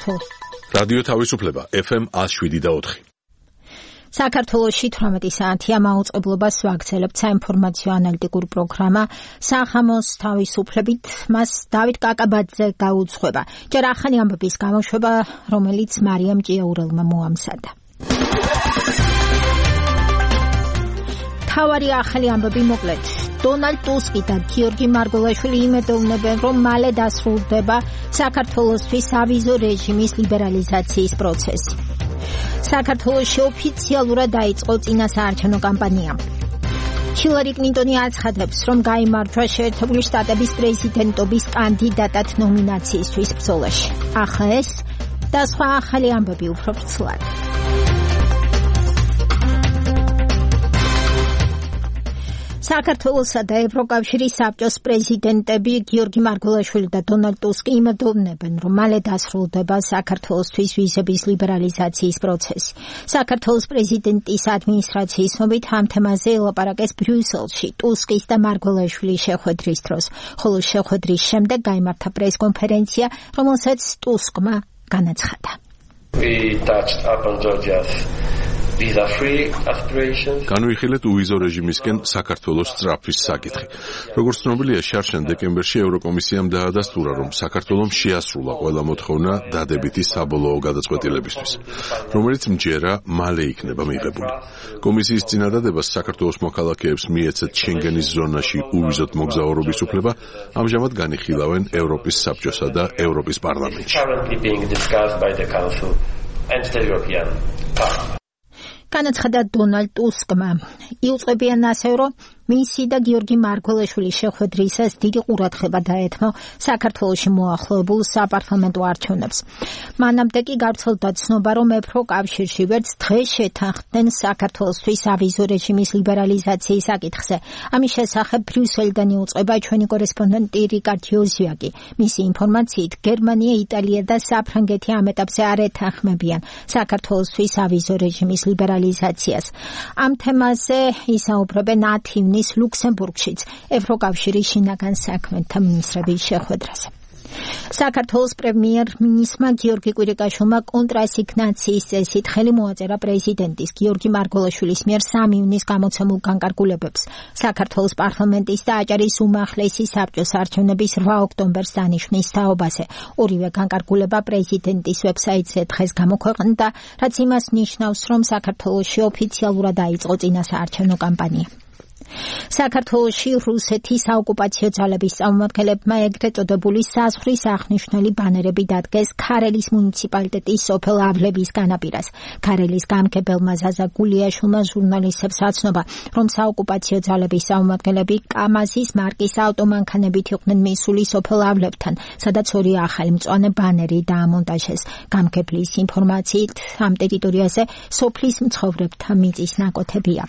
საქართველოს. რადიო თავისუფლება FM 107.4. საქართველოში 18 საათია მაუწყებლობას ვაგრძელებთ საინფორმაციო ანალიტიკური პროგრამა სახამოს თავისუფლებით. მას დავით კაკაბაძე გაუძღვება. ჯერ ახალი ამბების გამოშვება, რომელიც მარიამ ჭიაურელმა მოამზადა. თავარი ახალი ამბები მოკლედ. დონალდ ტუსკი და გიორგი მარგველაშვილი იმედოვნებენ, რომ მალე დასრულდება საქართველოსთვის ავიზო რეჟიმის ლიბერალიზაციის პროცესი. საქართველოში ოფიციალურად დაიწყო წინასაარჩევნო კამპანია. ჰილარი კლინტონი აცხადებს, რომ გაიმარჯვა შეერთებული შტატების პრეზიდენტობის კანდიდატად ნომინაციისთვის ბრძოლაში. ახლა ეს და სხვა ახალი ამბები უფრო ვრცლად. საქართველოსა და ევროკავშირის საბჭოს პრეზიდენტები გიორგი მარგველაშვილი და დონალდ ტუსკი იმედოვნებენ, რომ მალე დასრულდება საქართველოსთვის ვიზების ლიბერალიზაციის პროცესი. საქართველოს პრეზიდენტის ადმინისტრაციის ცნობით ამ თემაზე ელაპარაკეს ბრიუსელში ტუსკის და მარგველაშვილის შეხვედრის დროს, ხოლო შეხვედრის შემდეგ გაიმართა პრესკონფერენცია, რომელსაც ტუსკმა განაცხადა. განვიხილეთ უვიზო რეჟიმისკენ საქართველოს სწრაფვის საკითხი. როგორც ცნობილია, შარშან დეკემბერში ევროკომისიამ დაადასტურა, რომ საქართველომ შეასრულა ყველა მოთხოვნა დადებითი საბოლოო გადაწყვეტილებისთვის, რომელიც მჯერა მალე იქნება მიღებული. კომისიის წინადადებას საქართველოს მოქალაქეებს მიეცეთ შენგენის ზონაში უვიზოდ მოგზაურობის უფლება, ამჟამად განიხილავენ ევროპის საბჭოსა და ევროპის პარლამენტში. განაცხადა დონალდ ტუსკმა. იუწყებიან ასევე, რომ მისი და გიორგი მარგველაშვილის შეხვედრისას დიდი ყურადღება დაეთმო საქართველოში მოახლოებულ საპარლამენტო არჩევნებს. მანამდე კი გავრცელდა ცნობა, რომ ევროკავშირში ვერც დღეს შეთანხმდნენ საქართველოსთვის ავიზო რეჟიმის ლიბერალიზაციის საკითხზე. ამის შესახებ ბრიუსელიდან იუწყება ჩვენი კორესპონდენტი რიკარდ იოზიაკი. მისი ინფორმაციით, გერმანია, იტალია და საფრანგეთი ამ ეტაპზე არ ეთანხმებიან საქართველოსთვის ავიზო რეჟიმის ლიბერალიზაციას. ამ თემაზე ისაუბრებენ 10 ლუქსემბურგშიც ევროკავშირის შინაგან საქმეთა მინისტრების შეხვედრაზე. საქართველოს პრემიერ-მინისტრმა გიორგი კვირიკაშვილმა კონტრასიგნაციის წესით ხელი მოაწერა პრეზიდენტის გიორგი მარგველაშვილის მიერ 3 ივნის გამოცემულ განკარგულებებს. საქართველოს პარლამენტის და აჭარის უმაღლესი საბჭოს არჩევნების 8 ოქტომბერს დანიშნვის თაობაზე. ორივე განკარგულება პრეზიდენტის ვებსაიტზე დღეს გამოქვეყნდა, რაც იმას ნიშნავს, რომ საქართველოში ოფიციალურად დაიწყო წინასაარჩევნო კამპანია. საქართველოში რუსეთის საოკუპაციო ძალების წარმომადგენლებმა ეგრეთ წოდებული საზღვრის აღნიშნული ბანერები დადგეს ქარელის მუნიციპალიტეტის სოფელ ავლების განაპირას. ქარელის გამგებელმა ზაზა გულიაშვილმა ჟურნალისტებს აცნობა, რომ საოკუპაციო ძალების წარმომადგენლები კამაზის მარკის ავტომანქანებით იყვნენ მისული სოფელ ავლებთან, სადაც ორი ახალი მწვანე ბანერი დაამონტაჟეს. გამგებლის ინფორმაციით, ამ ტერიტორიაზე სოფლის მცხოვრებთა მიწის ნაკოთებია.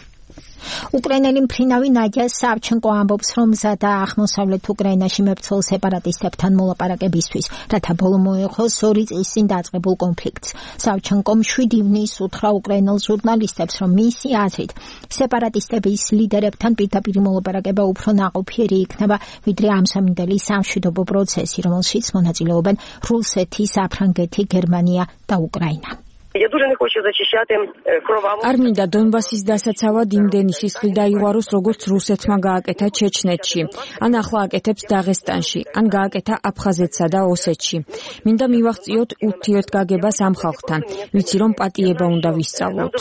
უკრაინელი მფრინავი ნადია სავჩენკო ამბობს, რომ მზადა აღმოსავლეთ უკრაინაში მებრძოლ სეპარატისტებთან მოლაპარაკებისთვის, რათა ბოლო მოეღოს 2 წლის წინ დაწყებულ კონფლიქტს. სავჩენკომ 7 ივნისს უთხრა უკრაინელ ჟურნალისტებს, რომ მისი აზრით სეპარატისტების ლიდერებთან პირდაპირ მოლაპარაკება უფრო ნაყოფიერი იქნება, ვიდრე ამსამინდელი სამშვიდობო პროცესი, რომელშიც მონაწილეობენ რუსეთი, საფრანგეთი, გერმანია და უკრაინა. არ მინდა დონბასის დასაცავად იმდენი სისხლი დაიღوارოს, როგორც რუსეთმა გააკეთა ჩეჩნეთში, ან ახლა აკეთებს დაღესტანში, ან გააკეთა აფხაზეთსა და ოსეთში. მინდა მივაღწიოთ ურთიერთგაგებას ამ ხალხთან, ვიცი რომ პატიება უნდა ვისწავლოთ.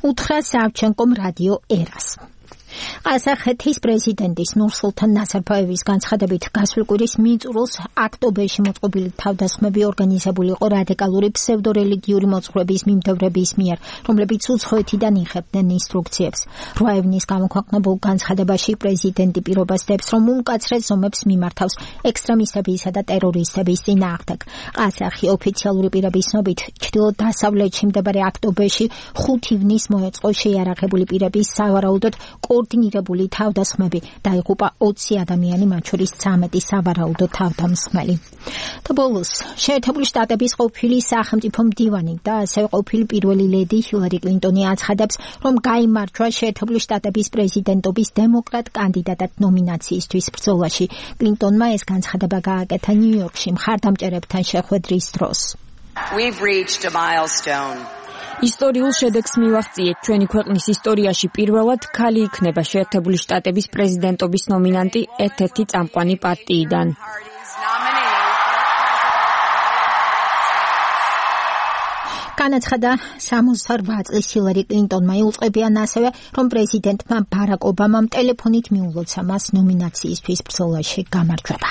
უთხრა სავჩენკომ რადიო ერას. ყაზახეთის პრეზიდენტის ნურსულთან ნაზარბაევის განცხადებით გასულ კვირის მიწურულს აქტობერში მოწყობილი თავდასხმები ორგანიზებული იყო რადიკალური ფსევდორელიგიური მოძღვრების მიმდევრების მიერ, რომლებიც უცხოეთიდან იღებდნენ ინსტრუქციებს. 8 ივნის გამოქვეყნებულ განცხადებაში პრეზიდენტი პირობას დებს, რომ უმკაცრეს ზომებს მიმართავს ექსტრემისტებისა და ტერორისტების წინააღმდეგ. ყაზახი ოფიციალური პირების ცნობით, ჩრდილო-დასავლეთში მდებარე აქტობერში 5 ივნის მოეწყო შეიარაღებული პირების სავარაუდოდ კოორდინირებული მიღებული თავდასხმები დაიღუპა 20 ადამიანი, მათ შორის 13 სავარაუდო თავდამსხმელი. და ბოლოს, შეერთებული შტატების ყოფილი სახელმწიფო მდივანი და ასევე ყოფილი პირველი ლედი ჰილარი კლინტონი აცხადებს, რომ გაიმარჯვა შეერთებული შტატების პრეზიდენტობის დემოკრატ კანდიდატად ნომინაციისთვის ბრძოლაში. კლინტონმა ეს განცხადება გააკეთა ნიუ-იორკში მხარდამჭერებთან შეხვედრის დროს. We've reached a milestone. ისტორიულ შედეგს მივაღწიეთ. ჩვენი ქვეყნის ისტორიაში პირველად ქალი იქნება შეერთებული შტატების პრეზიდენტობის ნომინანტი ერთ-ერთი წამყვანი პარტიიდან. განაცხადა 68 წლის ჰილარი კლინტონმა. იუწყებიან ასევე, რომ პრეზიდენტმა ბარაკ ობამამ ტელეფონით მიულოცა მას ნომინაციისთვის ბრძოლაში გამარჯვება.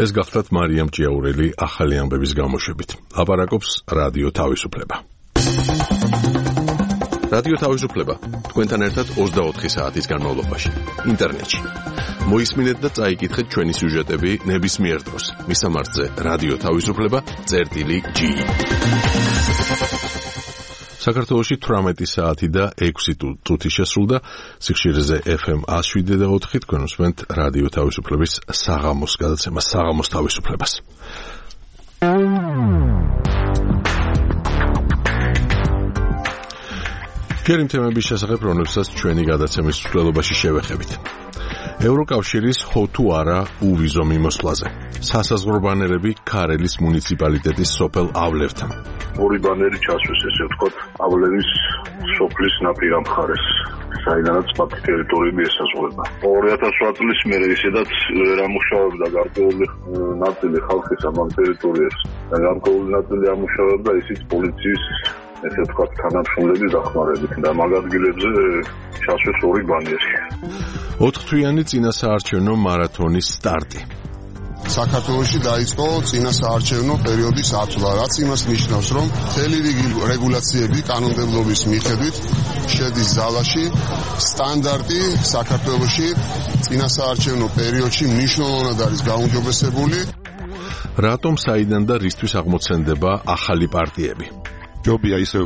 ეს გახლავთ მარიამ ჭიაურელი ახალი ამბების გამოშვებით. ლაპარაკობს რადიო თავისუფლება. რადიო თავისუფლება თქვენთან ერთად 24 საათის განმავლობაში ინტერნეტში. მოისმინეთ და წაიკითხეთ ჩვენი სიუჟეტები ნებისმიერ დროს. მისამართზე რადიო თავისუფლება.gi. საქართველოში 18 საათი და 6 წუთი შესრულდა. სიხშირეზე FM 107.4 თქვენ უსმენთ რადიო თავისუფლების საღამოს გადაცემას, საღამოს თავისუფლებას. ჯერ იმ თემების შესახებ, რომლებსაც ჩვენი გადაცემის მსვლელობაში შევეხებით. ევროკავშირის ხო თუ არა უვიზო მიმოსვლაზე. სასაზღვრო ბანერები ქარელის მუნიციპალიტეტის სოფელ ავლევთან. ორი ბანერი ჩასვეს, ესე ვთქვათ, ავლევის სოფლის ნაპირა მხარეს, საიდანაც პარკი ტერიტორიები ესაზღვრება. 2008 წლის მერე ისედაც ვერ ამუშავებდა გარკვეული ნაწილი ხალხის ამ ტერიტორიას. და გარკვეული ნაწილი ამუშავებდა ისიც პოლიციის, ესე ვთქვათ, თანამშრომლების დახმარებით და მაგ ადგილებზე ჩასვეს ორი ბანერი. 4 თვიანი წინასაარჩევნო მარათონის სტარტი. საქართველოში დაიწყო წინასაარჩევნო პერიოდის ათვლა, რაც იმას ნიშნავს, რომ მთელი რიგი რეგულაციები კანონმდებლობის მიხედვით შედის ზალაში. სტანდარტი საქართველოში წინასაარჩევნო პერიოდში მნიშვნელოვნად არის გაუმჯობესებული. რატომ საიდან და რისთვის აღმოცენდება ახალი პარტიები? ჯობია ისე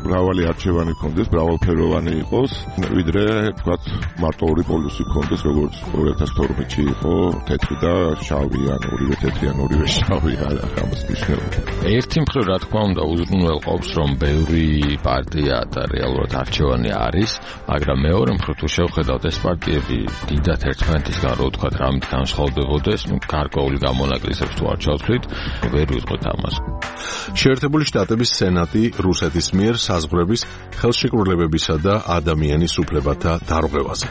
მრავალი არჩევანი ქონდეს, მრავალფეროვანი იყოს, ვიდრე თქვათ მარტო ორი პოლუსი ქონდეს, როგორც 2012-ში იყო, თეთრი და შავი, ან ორივე თეთრი, ან ორივე შავი, ამას ნიშნავს. ერთი მხრივ, რა თქმა უნდა, უზრუნველყოფს, რომ ბევრი პარტია და რეალურად არჩევანი არის, მაგრამ მეორე მხრივ, თუ შევხედავთ, ეს პარტიები დიდად ერთმანეთისგან, რო ვთქვათ, რამით განსხვავდებოდეს, გარკვეული გამონაკლისებს თუ არ ჩავთვლით, ვერ ვიტყვით ამას. შეერთებული შტატების სენატი რუსეთის მიერ საზღვრების ხელშეკრულებებისა და ადამიანის უფლებათა დარღვევაზე.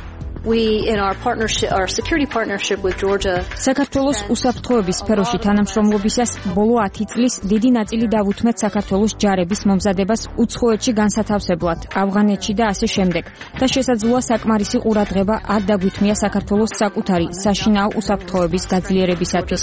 საქართველოს უსაფრთხოების სფეროში თანამშრომლობისას ბოლო 10 წლის დიდი ნაწილი დავუთმეთ საქართველოს ჯარების მომზადებას უცხოეთში განსათავსებლად, ავღანეთში და ასე შემდეგ. და შესაძლოა საკმარისი ყურადღება არ დაგვითმია საქართველოს საკუთარი საშინაო უსაფრთხოების გაძლიერებისათვის.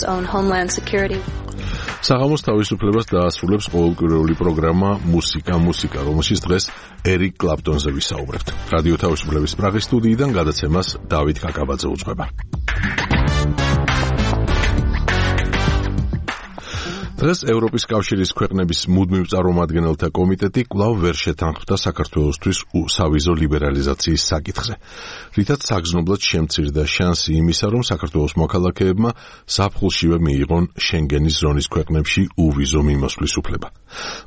საღამოს თავისუფლებას დაასრულებს ყოველკვირეული პროგრამა მუსიკა, რომელშიც დღეს ერიკ კლაპტონზე ვისაუბრებთ. რადიო თავისუფლების პრაღის სტუდიიდან გადაცემას დავით კაკაბაძე უძღვება. დღეს ევროპის კავშირის ქვეყნების მუდმივ წარმომადგენელთა კომიტეტი კვლავ ვერ შეთანხმდა საქართველოსთვის სავიზო ლიბერალიზაციის საკითხზე, რითაც საგრძნობლად შემცირდა შანსი იმისა, რომ საქართველოს მოქალაქეებმა ზაფხულშივე მიიღონ შენგენის ზონის ქვეყნებში უვიზო მიმოსვლის უფლება.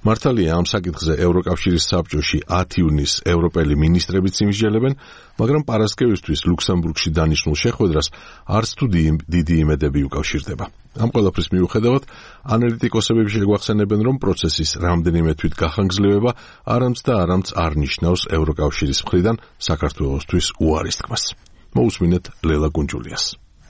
მართალია, ამ საკითხზე ევროკავშირის საბჭოში 10 ივნისს ევროპელი მინისტრებიც იმსჯელებენ, მაგრამ პარასკევისთვის ლუქსემბურგში დანიშნულ შეხვედრას არც თუ დიდი იმედები უკავშირდება. ამ ყველაფრის მიუხედავად, ანალიტიკოსები შეგვახსენებენ, რომ პროცესის რამდენიმე თვით გახანგრძლივება არამც არ ნიშნავს ევროკავშირის მხრიდან საქართველოსთვის უარის თქმას. მოусმინეთ ლელა გუნჯულიას.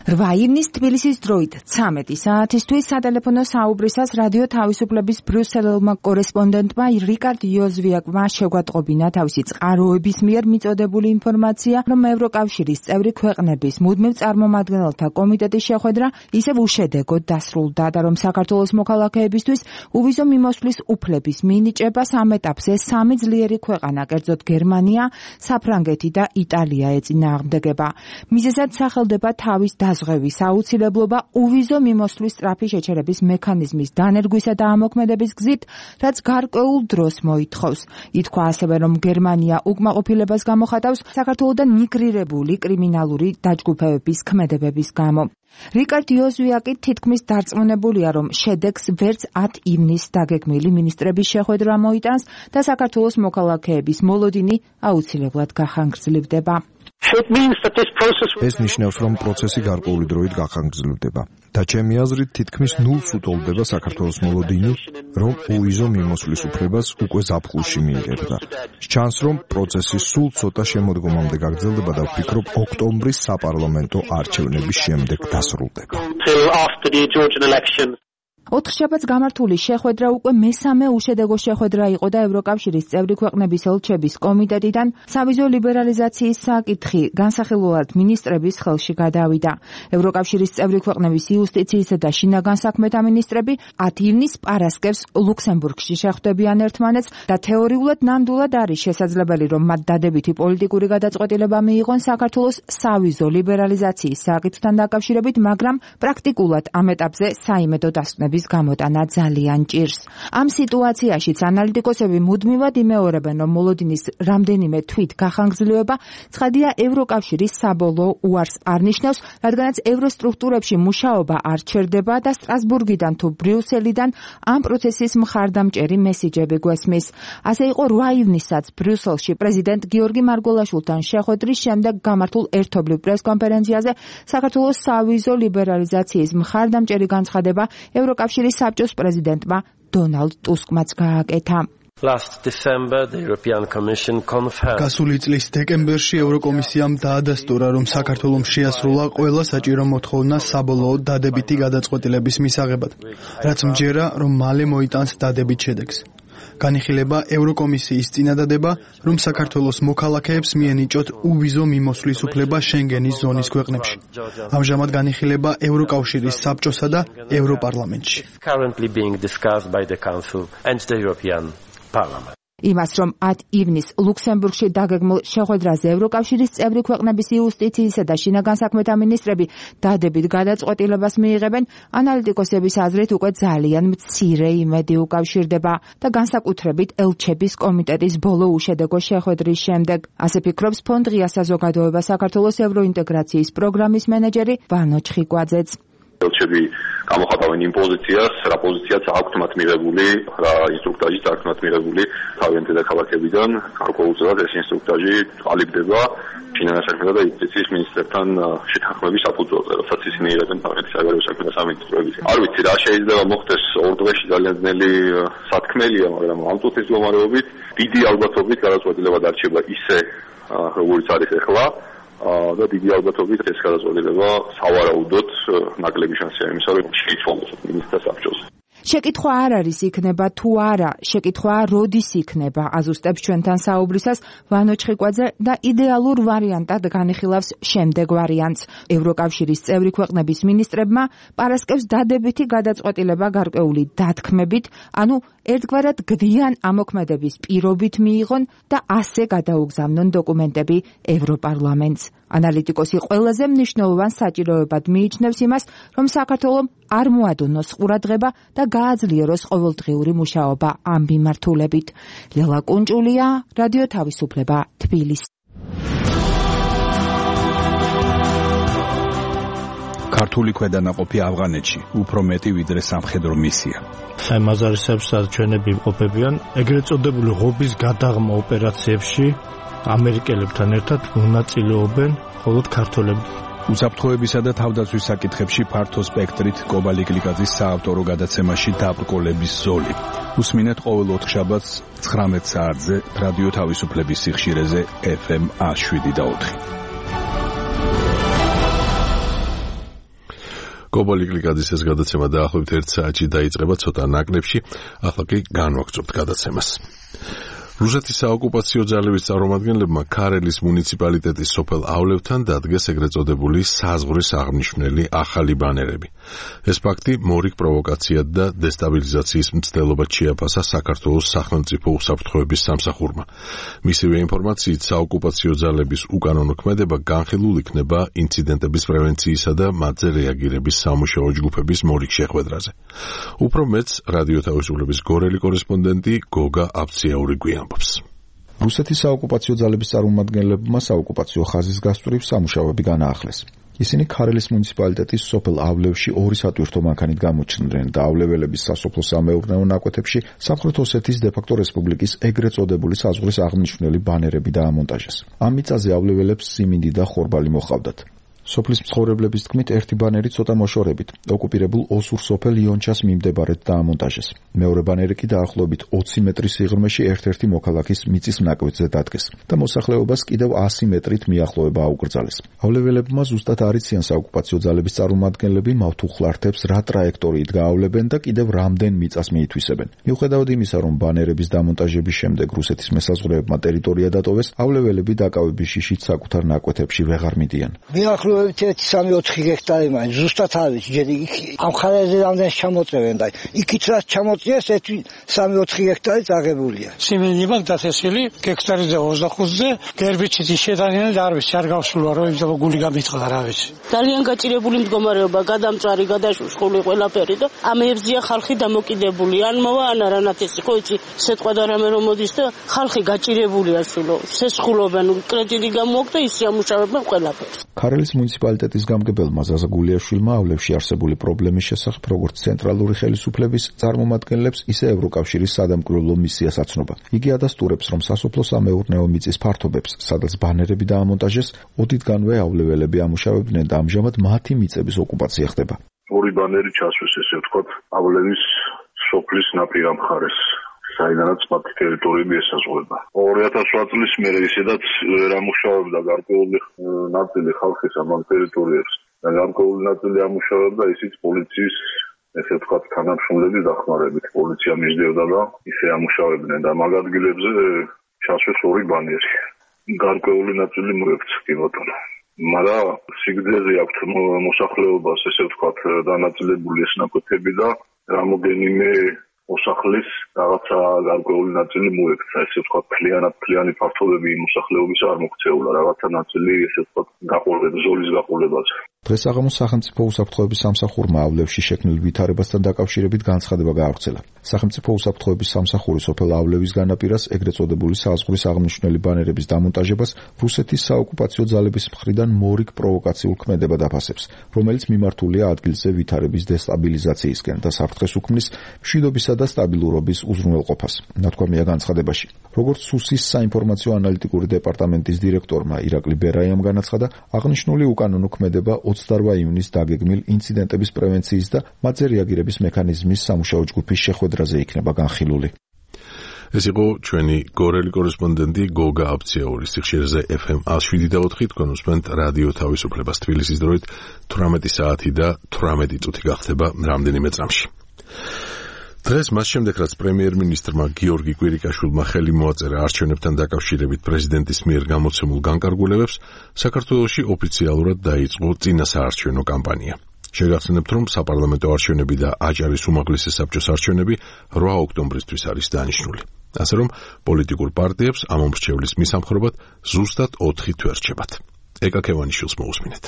8 ივნის თბილისის დროით 13 საათისთვის სატელეფონო საუბრისას რადიო თავისუფლების ბრიუსელელმა კორესპონდენტმა რიკარდ იოზვიაკმა შეგვატყობინა თავისი წყაროების მიერ მიწოდებული ინფორმაცია, რომ ევროკავშირის წევრი ქვეყნების მუდმივ წარმომადგენელთა კომიტეტის შეხვედრა ისევ უშედეგოდ დასრულდა და რომ საქართველოს მოქალაქეებისთვის უვიზო მიმოსვლის უფლების მინიჭებას ამ ეტაპზე 3 ძლიერი ქვეყანა, კერძოდ გერმანია, საფრანგეთი და იტალია ეწინააღმდეგება. მიზეზად სახელდება თავის საზღვევის აუცილებლობა, უვიზო მიმოსვლის სწრაფი შეჩერების მექანიზმის დანერგვისა და ამოქმედების გზით, რაც გარკვეულ დროს მოითხოვს. ითქვა ასევე, რომ გერმანია უკმაყოფილებას გამოხატავს საქართველოდან მიგრირებული კრიმინალური დაჯგუფებების ქმედებების გამო. რიკარდ იოზვიაკი თითქმის დარწმუნებულია, რომ შედეგს ვერც 10 ივნისს დაგეგმილი მინისტრების შეხვედრა მოიტანს და საქართველოს მოქალაქეების მოლოდინი აუცილებლად გახანგრძლივდება. ეს ნიშნავს, რომ პროცესი გარკვეული დროით გახანგრძლივდება და ჩემი აზრით თითქმის ნულს უტოლდება საქართველოს მოლოდინი, რომ უვიზო მიმოსვლის უფლებას უკვე ზაფხულში მიიღებდა. ჩანს, რომ პროცესი სულ ცოტა შემოდგომამდე გაგრძელდება და ვფიქრობ, ოქტომბრის საპარლამენტო არჩევნების შემდეგ დასრულდება. 4 შაბათს გამართული შეხვედრა უკვე მესამე უშედეგო შეხვედრა იყო და ევროკავშირის წევრი ქვეყნების ელჩების კომიტეტიდან სავიზო ლიბერალიზაციის საკითხი განსახილველად მინისტრების ხელში გადავიდა. ევროკავშირის წევრი ქვეყნების იუსტიციისა და შინაგან საქმეთა მინისტრები 10 ივნისს პარასკევს ლუქსემბურგში შეხვდებიან ერთმანეთს და თეორიულად ნამდვილად არის შესაძლებელი, რომ მათ დადებითი პოლიტიკური გადაწყვეტილება მიიღონ საქართველოს სავიზო ლიბერალიზაციის საკითხთან დაკავშირებით, მაგრამ პრაქტიკულად ამ ეტაპზე საიმედო დასკვნები გამოტანა ძალიან ჭირს. ამ სიტუაციაშიც ანალიტიკოსები მუდმივად იმეორებენ, რომ მოლოდინის რამდენიმე თვით გახანგრძლივება ცხადია ევროკავშირის საბოლოო უარს არ ნიშნავს, რადგანაც ევროსტრუქტურებში მუშაობა არ ჩერდება და სტრასბურგიდან თუ ბრიუსელიდან ამ პროცესის მხარდამჭერი მესიჯები გვესმის. ასე იყო 8 ივნისსაც ბრიუსელში პრეზიდენტ გიორგი მარგველაშვილთან შეხვედრის შემდეგ გამართულ ერთობლივ პრესკონფერენციაზე საქართველოს სავიზო ლიბერალიზაციის მხარდამჭერი განცხადება ევროკავშირის საბჭოს პრეზიდენტმა დონალდ ტუსკმაც გააკეთა. გასული წლის დეკემბერში ევროკომისიამ დაადასტურა, რომ საქართველომ შეასრულა ყველა საჭირო მოთხოვნა საბოლოოდ დადებითი გადაწყვეტილების მისაღებად, რაც მჯერა, რომ მალე მოიტანს დადებით შედეგს. განიხილება ევროკომისიის წინადადება, რომ საქართველოს მოქალაქეებს მიენიჭოთ უვიზო მიმოსვლის უფლება შენგენის ზონის ქვეყნებში. ამჟამად განიხილება ევროკავშირის საბჭოსა და ევროპარლამენტში. იმას, რომ 10 ივნისს ლუქსემბურგში დაგეგმილ შეხვედრაზე ევროკავშირის წევრი ქვეყნების იუსტიციისა და შინაგან საქმეთა მინისტრები დადებით გადაწყვეტილებას მიიღებენ, ანალიტიკოსების აზრით უკვე ძალიან მცირე იმედი უკავშირდება და განსაკუთრებით ელჩების კომიტეტის ბოლო უშედეგო შეხვედრის შემდეგ. ასე ფიქრობს ფონდ ღია საზოგადოება საქართველოს ევროინტეგრაციის პროგრამის მენეჯერი ვანო ჩხიკვაძეც. ელჩები გამოხატავენ იმ პოზიციას, რა პოზიციაც აქვთ მათ მიღებული, რა ინსტრუქტაჟიც აქვთ მათ მიღებული თავიანთ დედაქალაქებიდან. გარკვეულწილად ეს ინსტრუქტაჟი ყალიბდება შინაგან საქმეთა და იუსტიციის მინისტრებთან შეთანხმების საფუძველზე, როდესაც ისინი იღებენ თავიანთი საგარეო საქმეთა სამინისტროების. არ ვიცი რა შეიძლება მოხდეს 2 დღეში, ძალიან ძნელი სათქმელია, მაგრამ ამ წუთის მდგომარეობით დიდი ალბათობით გადაწყვეტილება დარჩება ისე, როგორც არის ახლა. და დიდი ალბათობით ეს გადაწყვეტილება სავარაუდოდ ნაკლები შანსია იმისა, რომ შეიცვალოს მინისტრთა საბჭოს. შეკითხვა არ არის იქნება თუ არა, შეკითხვაა როდის იქნება, აზუსტებს ჩვენთან საუბრისას ვანო ჩხიკვაძე და იდეალურ ვარიანტად განიხილავს შემდეგ ვარიანტს. ევროკავშირის წევრი ქვეყნების მინისტრებმა პარასკევს დადებითი გადაწყვეტილება გარკვეული დათქმებით, ანუ ერთგვარად გდიან ამოქმედების პირობით მიიღონ და ასე გადაუგზავნონ დოკუმენტები ევროპარლამენტს. ანალიტიკოსი ყველაზე მნიშვნელოვან საჭიროებად მიიჩნევს იმას, რომ საქართველომ არ მოადონოს ყურადღება და გააძლიეროს ყოველდღიური მუშაობა ამ მიმართულებით. ლელა კუნჭულია, რადიო თავისუფლება, თბილისი. ქართული ქვედანაყოფი ავღანეთში უფრო მეტი ვიდრე სამხედრო მისია. აი მაზარისებს ჩვენები ყოფებიან ეგრეთ წოდებული ღობის გადაღმა ოპერაციებში ამერიკელებთან ერთად მონაწილეობენ მხოლოდ ქართველები. უსაფრთხოებისა და თავდაცვის საკითხებში ფართო სპექტრით კობალი გლიკაძის საავტორო გადაცემაში დაბრკოლების ზოლი. უსმინეთ ყოველ 4 შაბათს 19 საათზე რადიო თავისუფლების სიხშირეზე FM 107.4. კობალი გლიკაძის ეს გადაცემა დაახლოებით 1 საათში დაიწყება, ცოტა ნაკლებში, ახლა კი განვაგრძობთ გადაცემას. რუსეთის საოკუპაციო ძალების წარმომადგენლებმა ქარელის მუნიციპალიტეტის სოფელ ავლევთან დადგეს ეგრეთ წოდებული საზღვრის აღნიშნული ახალი ბანერები. ეს ფაქტი მორიგ პროვოკაციად და დესტაბილიზაციის მცდელობად შეაფასა საქართველოს სახელმწიფო უსაფრთხოების სამსახურმა. მისივე ინფორმაციით საოკუპაციო ძალების უკანონო ქმედება განხილულ იქნება ინციდენტების პრევენციისა და მათზე რეაგირების სამუშაო ჯგუფების მორიგ შეხვედრაზე. უფრო მეტს რადიო თავისუფლების გორელი კორესპონდენტი გოგა აბციაური გვიამბობს. რუსეთის საოკუპაციო ძალების წარმომადგენლებმა საოკუპაციო ხაზის გასწვრივ სამუშაოები განაახლეს. ისინი ქარელის მუნიციპალიტეტის სოფელ ავლევში 2 სატვირთო მანქანით გამოჩნდნენ და ავლეველების სასოფლო-სამეურნეო ნაკვეთებში სამხრეთ ოსეთის დე-ფაქტო რესპუბლიკის ეგრეთ წოდებული საზღვრის აღნიშნული ბანერები დაამონტაჟეს. ამ მიწაზე ავლეველებს სიმინდი და ხორბალი მოჰყავდათ. სოფლის მცხოვრებლების თქმით, ერთი ბანერი ცოტა მოშორებით ოკუპირებულ ოსურ სოფელ იონჩას მიმდებარედ დაამონტაჟეს. მეორე ბანერი კი დაახლოებით 20 მეტრის სიღრმეში ერთ-ერთი მოქალაქის მიწის ნაკვეთზე დადგეს და მოსახლეობას კიდევ 100 მეტრით მიახლოება აუკრძალეს. ავლეველებმა ზუსტად არ იციან საოკუპაციო ძალების წარმომადგენლები მავთუხლართებს რა ტრაექტორიით გაავლებენ და კიდევ რამდენ მიწას მიითვისებენ. მიუხედავად იმისა, რომ ბანერების დამონტაჟების შემდეგ რუსეთის მესაზღვრეებმა ტერიტორია დატოვეს, ავლეველები დაკავების შიშით საკუთარ ნაკვეთებში ვეღარ მიდიან. 3-4 ჰექტარი მაინც ზუსტად არის ჯერ ამ ხარაზე რამდენ ჩამოწევენ და იქით რაც ჩამოწიეს 3-4 ჰექტარი წაღებულია. სიმინდი მაგ დათესილი ჰექტარზე 25-ზე გერბიცით შედარებით არ ვიცი არ გავსულა რომ იმ გული გამიტყდა რა ვიცი. ძალიან გაჭირებული მდგომარეობა, გადამწვარი, გადაშუშხული ყველაფერი და ამებზია ხალხი დამოკიდებული. ან მოვა ან არანათესი ხო იცი სიტყვა და რამე რომ მოდის და ხალხი გაჭირებულია სულო. სესხულობენ კრედიტი გამოაქვს და ის ამუშავებენ ყველაფერს. ქარელის მუნიციპალიტეტის გამგებელმა ზაზა გულიაშვილმა ავლევში არსებული პრობლემის შესახებ როგორც ცენტრალური ხელისუფლების წარმომადგენლებს, ისე ევროკავშირის სადამკვირვებლო მისიას აცნობა. იგი ადასტურებს, რომ სასოფლო-სამეურნეო მიწის ფართობებს, სადაც ბანერები დაამონტაჟეს, ოდითგანვე ავლეველები ამუშავებდნენ და ამჟამად მათი მიწების ოკუპაცია ხდება. ორი ბანერი ჩასვეს, ესე ვთქვათ, ავლევის სოფლის ნაპირა მხარეს. საიდანაც მათი ტერიტორიები ესაზღვრება. 2008 წლის მერე ისედაც ვერ ამუშავებდა გარკვეული ნაწილი ხალხის ამ ტერიტორიებს და გარკვეული ნაწილი ამუშავებდა ისიც პოლიციის, ესე ვთქვათ, თანამშრომლების დახმარებით. პოლიცია მისდევდა და ისე ამუშავებდნენ და მაგ ადგილებზე ჩასვეს ორი ბანერი. გარკვეული ნაწილი მოექცა კი ბატონო. მაგრამ სიგრძეზე აქვთ მოსახლეობას, ესე ვთქვათ, დანაწილებული ეს ნაკვეთები და რამოდენიმე მოსახლის რაღაცა გარკვეული ნაწილი მოექცა, ესე ვთქვათ, მთლიანი ფართობები მოსახლეობის არ მოქცეულა, რაღაცა ნაწილი, ესე ვთქვათ, ზოლის გაყოლებაზე. დღეს აღამოს სახელმწიფო უსაფრთხოების სამსახურმა ავლევში შექმნილ ვითარებასთან დაკავშირებით განცხადება გაავრცელა. სახელმწიფო უსაფრთხოების სამსახური სოფელ ავლევის განაპირას ეგრეთ წოდებული საზღვრის აღნიშნული ბანერების დამონტაჟებას რუსეთის საოკუპაციო ძალების მხრიდან მორიგ პროვოკაციულ ქმედებად აფასებს, რომელიც მიმართულია ადგილზე ვითარების დესტაბილიზაციისკენ და საფრთხეს უქმნის მშვიდობისა და სტაბილურობის უზრუნველყოფას. ნათქვამია განცხადებაში. როგორც სუსის საინფორმაციო ანალიტიკური დეპარტამენტის დირექტორმა ირაკლი ბერაიამ განაცხადა, აღნიშნული უკანონო ქმედება 28 ივნისს დაგეგმილ ინციდენტების პრევენციის და მათზე რეაგირების მექანიზმის სამუშაო ჯგუფის შეხვედრაზე იქნება განხილული. ეს იყო ჩვენი გორელი კორესპონდენტი გოგა აბციაური. სიხშირეზე FM 107.4 თქვენ უსმენთ რადიო თავისუფლებას. თბილისის დროით 18 საათი და 18 წუთი გახდება რამდენიმე წამში. დღეს მას შემდეგ, რაც პრემიერ-მინისტრმა გიორგი კვირიკაშვილმა ხელი მოაწერა არჩევნებთან დაკავშირებით პრეზიდენტის მიერ გამოცემულ განკარგულებებს, საქართველოში ოფიციალურად დაიწყო წინასაარჩევნო კამპანია. შეგახსენებთ, რომ საპარლამენტო არჩევნები და აჭარის უმაღლესი საბჭოს არჩევნები 8 ოქტომბრისთვის არის დანიშნული. ასე რომ პოლიტიკურ პარტიებს ამ მომრჩევლის მისამხრობად ზუსტად 4 თვე რჩებათ. ეკა ქევანიშვილს მოусმინეთ.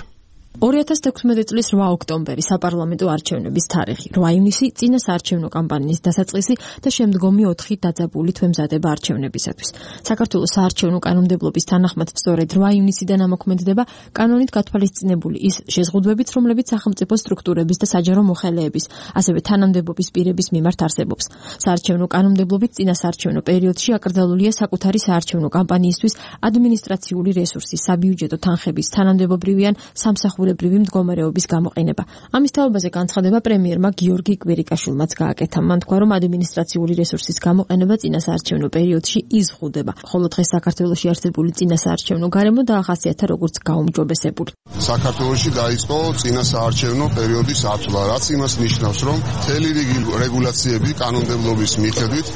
2016 წლის 8 ოქტომბერი საპარლამენტო არჩევნების თარიღი, 8 ივნისი წინასაარჩევნო კამპანიის დასაწყისი და შემდგომი 4 დაძაბული თვემზადება არჩევნებისათვის. საქართველოს საარჩევნო კანონმდებლობის თანახმად სწორედ 8 ივნისიდან ამოქმედდება კანონით გათვალისწინებული ის შეზღუდვებიც, რომლებიც სახელმწიფო სტრუქტურების და საჯარო მოხელეების, ასევე თანამდებობის პირების მიმართ არსებობს. საარჩევნო კანონმდებლობით წინასაარჩევნო პერიოდში აკრძალულია საკუთარი საარჩევნო კამპანიისთვის ადმინისტრაციული რესურსის, საბიუჯეტო თანხების, თანამდებობრივი ან სამსახურებრივი მდგომარეობის გამოყენება. ამის თაობაზე განცხადება პრემიერმა გიორგი კვირიკაშვილმაც გააკეთა. მან თქვა, რომ ადმინისტრაციული რესურსის გამოყენება წინასაარჩევნო პერიოდში იზღუდება, ხოლო დღეს საქართველოში არსებული წინასაარჩევნო გარემო დაახასიათა როგორც გაუმჯობესებული. საქართველოში დაიწყო წინასაარჩევნო პერიოდის ათვლა, რაც იმას ნიშნავს, რომ მთელი რიგი რეგულაციები კანონმდებლობის მიხედვით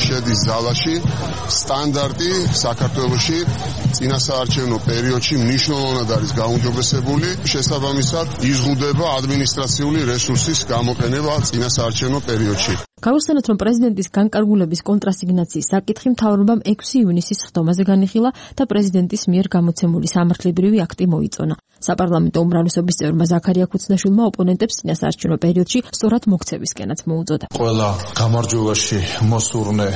შედის ზალაში სტანდარტი საქართველოში წინასაარჩევნო პერიოდში მნიშვნელოვნად არის გაუმჯობესებული, შესაბამისად იზღუდება ადმინისტრაციული რესურსის გამოყენება წინასაარჩევნო პერიოდში. Გავიხსენოთ, რომ პრეზიდენტის განკარგულების კონტრასიგნაციის საკითხი მთავრობამ 6 ივნისის ხდომაზე განიხილა და პრეზიდენტის მიერ გამოცემული სამართლებრივი აქტი მოიწონა. საპარლამენტო უმრავლესობის წევრმა ზაქარია ქუცნაშვილმა ოპონენტებს წინასაარჩევნო პერიოდში სწორად მოქცევისკენაც მოუწოდა. ყველა გამარჯვებაში მოსურნე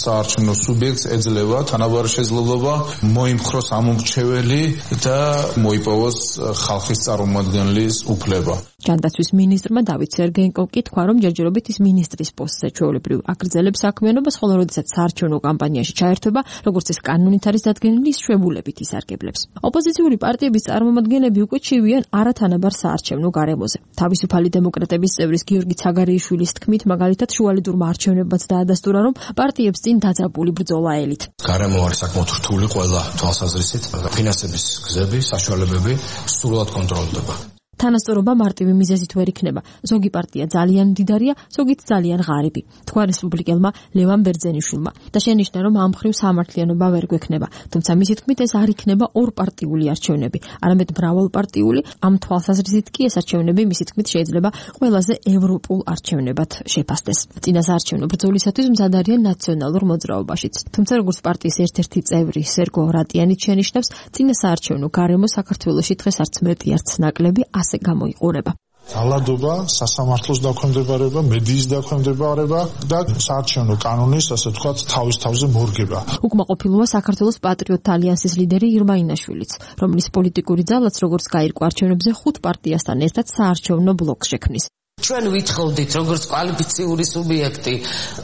საარჩევნო სუბიექტს ეძლევა თანაბარი შესაძლებლობა მოიმხროს ამომრჩეველი და მოიპოვოს ხალხის წარმომადგენლის უფლება. ჯანდაცვის მინისტრმა დავით სერგეენკომ კი თქვა, რომ ჯერჯერობით ის მინისტრის პოსტზე ჩვეულებრივ აგრძელებს საქმიანობას, ხოლო როდესაც საარჩევნო კამპანიაში ჩაერთვება, როგორც ეს კანონით არის დადგენილი, ის შვებულებით ისარგებლებს. ოპოზიციური პარტიების წარმომადგენლები უკვე ჩივიან არათანაბარ საარჩევნო გარემოზე. თავისუფალი დემოკრატების წევრის გიორგი ცაგარეიშვილის თქმით, მაგალითად შუალედურმა არჩევნებებაც დაადასტურა, რომ პარტიებს წინ დაძაბული ბრძოლა ელით. გარემო არის საკმაოდ რთული ყველა თვალსაზრისით, ფინანსების გზები, საშუალებები სრულად კონტროლდება. თანასწორობა მარტივი მიზეზით ვერ იქნება. ზოგი პარტია ძალიან მდიდარია, ზოგიც ძალიან ღარიბი. თქვა რესპუბლიკელმა ლევან ბერძენიშვილმა და შენიშნა, რომ ამ მხრივ სამართლიანობა ვერ გვექნება. თუმცა მისი თქმით, ეს არ იქნება ორპარტიული არჩევნები, არამედ მრავალპარტიული. ამ თვალსაზრისით კი ეს არჩევნები მისი თქმით შეიძლება ყველაზე ევროპულ არჩევნებად შეფასდეს. წინასაარჩევნო ბრძოლისათვის მზად არიან ნაციონალურ მოძრაობაშიც. თუმცა როგორც პარტიის ერთ-ერთი წევრი სერგო რატიანიც შენიშნავს, წინასაარჩევნო გარემო საქართველოში დღეს არც მეტი არც ნაკლები გამოიყურება. ძალადობა, სასამართლოს დაქვემდებარება, მედიის დაქვემდებარება და საარჩევნო კანონის, ასე ვთქვათ, თავის თავზე მორგება. უკმაყოფილოა საქართველოს პატრიოტთა ალიანსის ლიდერი ირმა ინაშვილიც, რომლის პოლიტიკური ძალაც როგორც გაირკვა არჩევნებზე 5 პარტიასთან ერთად საარჩევნო ბლოკს შექმნის. ჩვენ ვითხოვდით როგორც კვალიფიციური სუბიექტი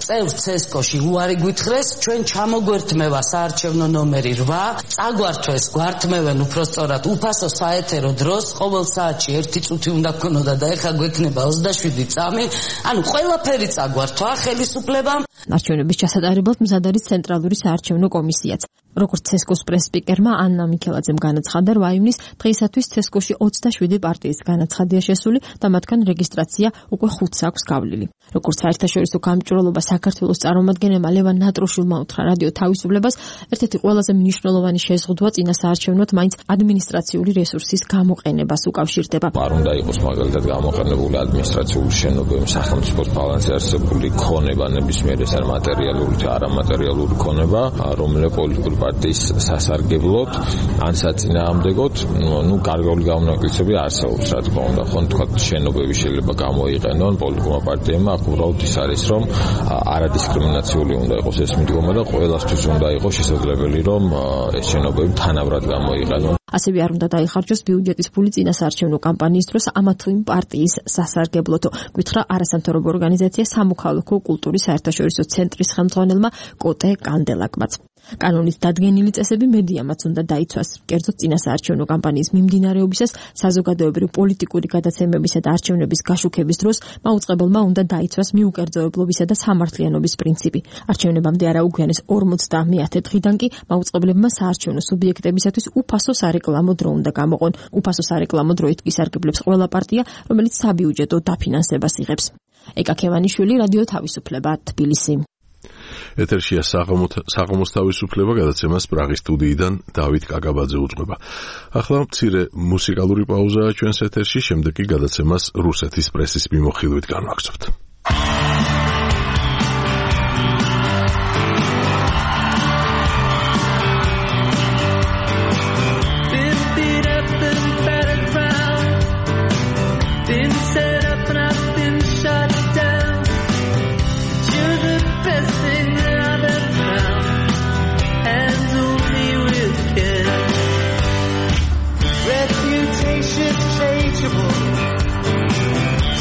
წევრ ცესკოში უარი გვითხრეს, ჩვენ ჩამოგვერთმევა საარჩევნო ნომერი 8, წაგვართვეს, გვართმევენ უпростоრად უფასო საეთერო დროს, ყოველ საათში 1 წუთი უნდა გქონოდა და ეხლა გვექნება 27 წამი, ანუ ყველაფერი წაგვართვა ხელისუფლებამ. არჩევნების ჩასატარებლად მზად არის ცენტრალური საარჩევნო კომისიაც. როგორც ცესკოს პრესსპიკერმა ანნა მიქელაძემ განაცხადა, 8 ივნის დღეისათვის ცესკოში 27 პარტიის განაცხადია შესული და მათგან რეგისტრაცია უკვე 5-ს აქვს გავლილი. როგორც საერთაშორისო გამჭვირვალობა საქართველოს წარმომადგენელმა ლევან ნატროშვილმა უთხრა რადიო თავისუფლებას, ერთ-ერთი ყველაზე მნიშვნელოვანი შეზღუდვა წინასაარჩევნოთ მაინც ადმინისტრაციული რესურსის გამოყენებას უკავშირდება. არ უნდა იყოს მაგალითად გამოყენებული ადმინისტრაციული შენობები, სახელმწიფოს ბალანსი არსებული ქონება, ნებისმიერ ეს არის მატერიალური და არამატერიალური ქონება, რომელიც პოლიტიკური პარტიის სასარგებლოდ ან საწინააღმდეგოდ, გარკვეული გამონაკლისები არსებობს, რა თქმა უნდა, ხო თქვა შენობები შეიძლება გამოიყენონ პოლიტიკურმა პარტიებმა, უბრალოდ ის არის, რომ არადისკრიმინაციული უნდა იყოს ეს მიდგომა და ყველასთვის უნდა იყოს შესაძლებელი, რომ ეს შენობები თანაბრად გამოიყენონ. ასევე არ უნდა დაიხარჯოს ბიუჯეტის ფული წინასაარჩევნო კამპანიის დროს ამა თუ იმ პარტიის სასარგებლოდ, გითხრა არასამთავრობო ორგანიზაცია სამოქალაქო კულტურის საერთაშორისო ცენტრის ხელმძღვანელმა კოტე კანდელაკმაც. კანონის დადგენილი წესები მედიამაც უნდა დაიცვას. კერძოდ წინასაარჩევნო კამპანიის მიმდინარეობისას, საზოგადოებრივი პოლიტიკური გადაცემებისა და არჩევნების გაშუქების დროს მაუწყებელმა უნდა დაიცვას მიუკერძოებლობისა და სამართლიანობის პრინციპი. არჩევნებამდე არაუგვიანეს 50 დღიდან კი მაუწყებლებმა საარჩევნო სუბიექტებისათვის უფასო სარეკლამო დრო უნდა გამოყონ. უფასო სარეკლამო დროით კი სარგებლებს ყველა პარტია, რომელიც საბიუჯეტო დაფინანსებას იღებს. ეკა ქევანიშვილი, რადიო თავისუფლება, თბილისი. ეთერშია საღამოს თავისუფლება, გადაცემას პრაღის სტუდიიდან დავით კაკაბაძე უძღვება. ახლა მცირე მუსიკალური პაუზაა ჩვენს ეთერში, შემდეგ კი გადაცემას რუსეთის პრესის მიმოხილვით განვაგრძობთ.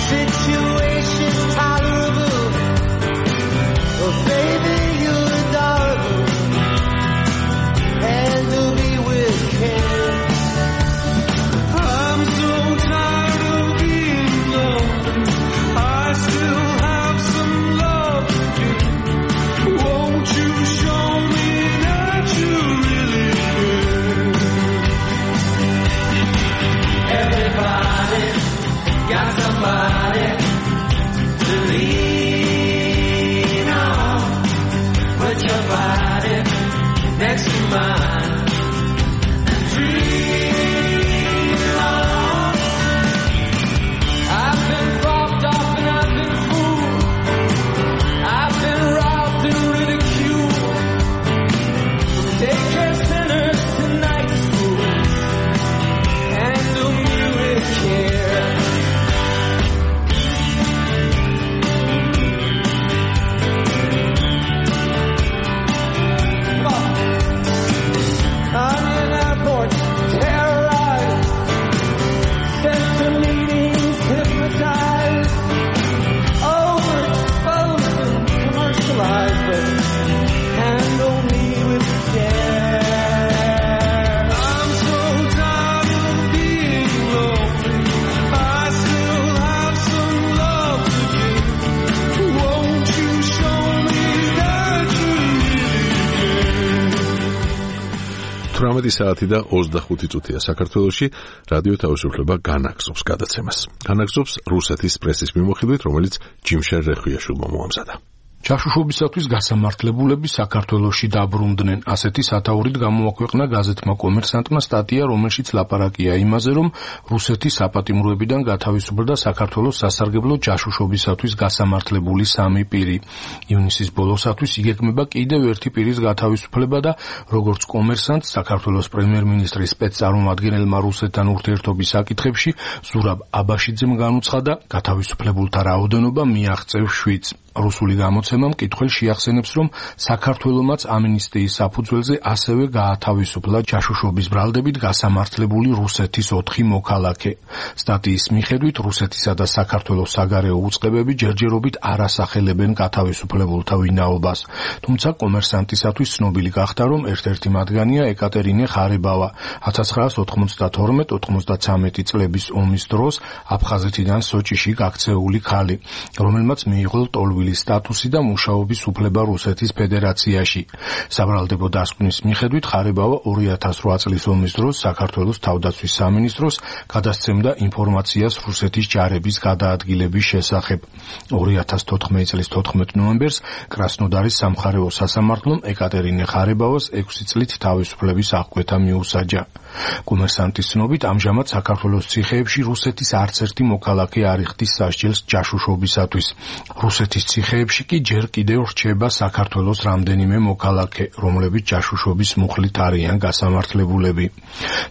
Situations 18 საათი და 25 წუთია საქართველოში. რადიო თავისუფლება განაგზობს გადაცემას. განაგზობს რუსეთის პრესის მიმოხილვით, რომელიც ჯიმშერ რეხვიაშვილმა მოამზადა. ჩაშუშობისათვის გასამართლებულები საქართველოში დაბრუნდნენ. ასეთი სათაურით გამოაქვეყნა გაზეთმა კომერსანტმა სტატია, რომელშიც ლაპარაკია იმაზე, რომ რუსეთის საპატიმროებიდან გათავისუფლდა საქართველოს სასარგებლო ჯაშუშობისათვის გასამართლებული 3 პირი. ივნისის ბოლოსათვის იგეგმება კიდევ ერთი პირის გათავისუფლება და როგორც კომერსანტს საქართველოს პრემიერ-მინისტრის სპეცწარმომადგენელმა რუსეთთან ურთიერთობის საკითხებში ზურაბ აბაშიძემ განუცხადა, გათავისუფლებულთა რაოდენობა მიაღწევს 7-ს. რუსული გამოცემა მკითხველს შეახსენებს, რომ საქართველომაც ამინისტიის საფუძველზე ასევე გაათავისუფლა ჯაშუშობის ბრალდებით გასამართლებული რუსეთის 4 მოქალაქე. სტატიის მიხედვით რუსეთისა და საქართველოს საგარეო უწყებები ჯერჯერობით არ ასახელებენ გათავისუფლებულთა ვინაობას. თუმცა კომერსანტისათვის ცნობილი გახდა, რომ ერთ-ერთი მათგანია ეკატერინე ხარებავა, 1992-93 წლების ომის დროს აფხაზეთიდან სოჭიში გაქცეული ქალი, რომელმაც მიიღო სტატუსი და მუშაობის უფლება რუსეთის ფედერაციაში. საბრალდებო დასკვნის მიხედვით ხარებავა 2008 წლის ომის დროს საქართველოს თავდაცვის სამინისტროს გადასცემდა ინფორმაციას რუსეთის ჯარების გადაადგილების შესახებ. 2014 წლის 14 ნოემბერს კრასნოდარის სამხარეო სასამართლომ ეკატერინე ხარებავას 6 წლით თავისუფლების აღკვეთა მიუსაჯა. კომერსანტის ცნობით, ამჟამად საქართველოს ციხეებში რუსეთის არც ერთი მოქალაქე არ იხდის სასჯელს ჯაშუშობისათვის. რუსეთის ციხეებში კი ჯერ კიდევ რჩება საქართველოს რამდენიმე მოქალაქე, რომლებიც ჯაშუშობის მუხლით არიან გასამართლებულები.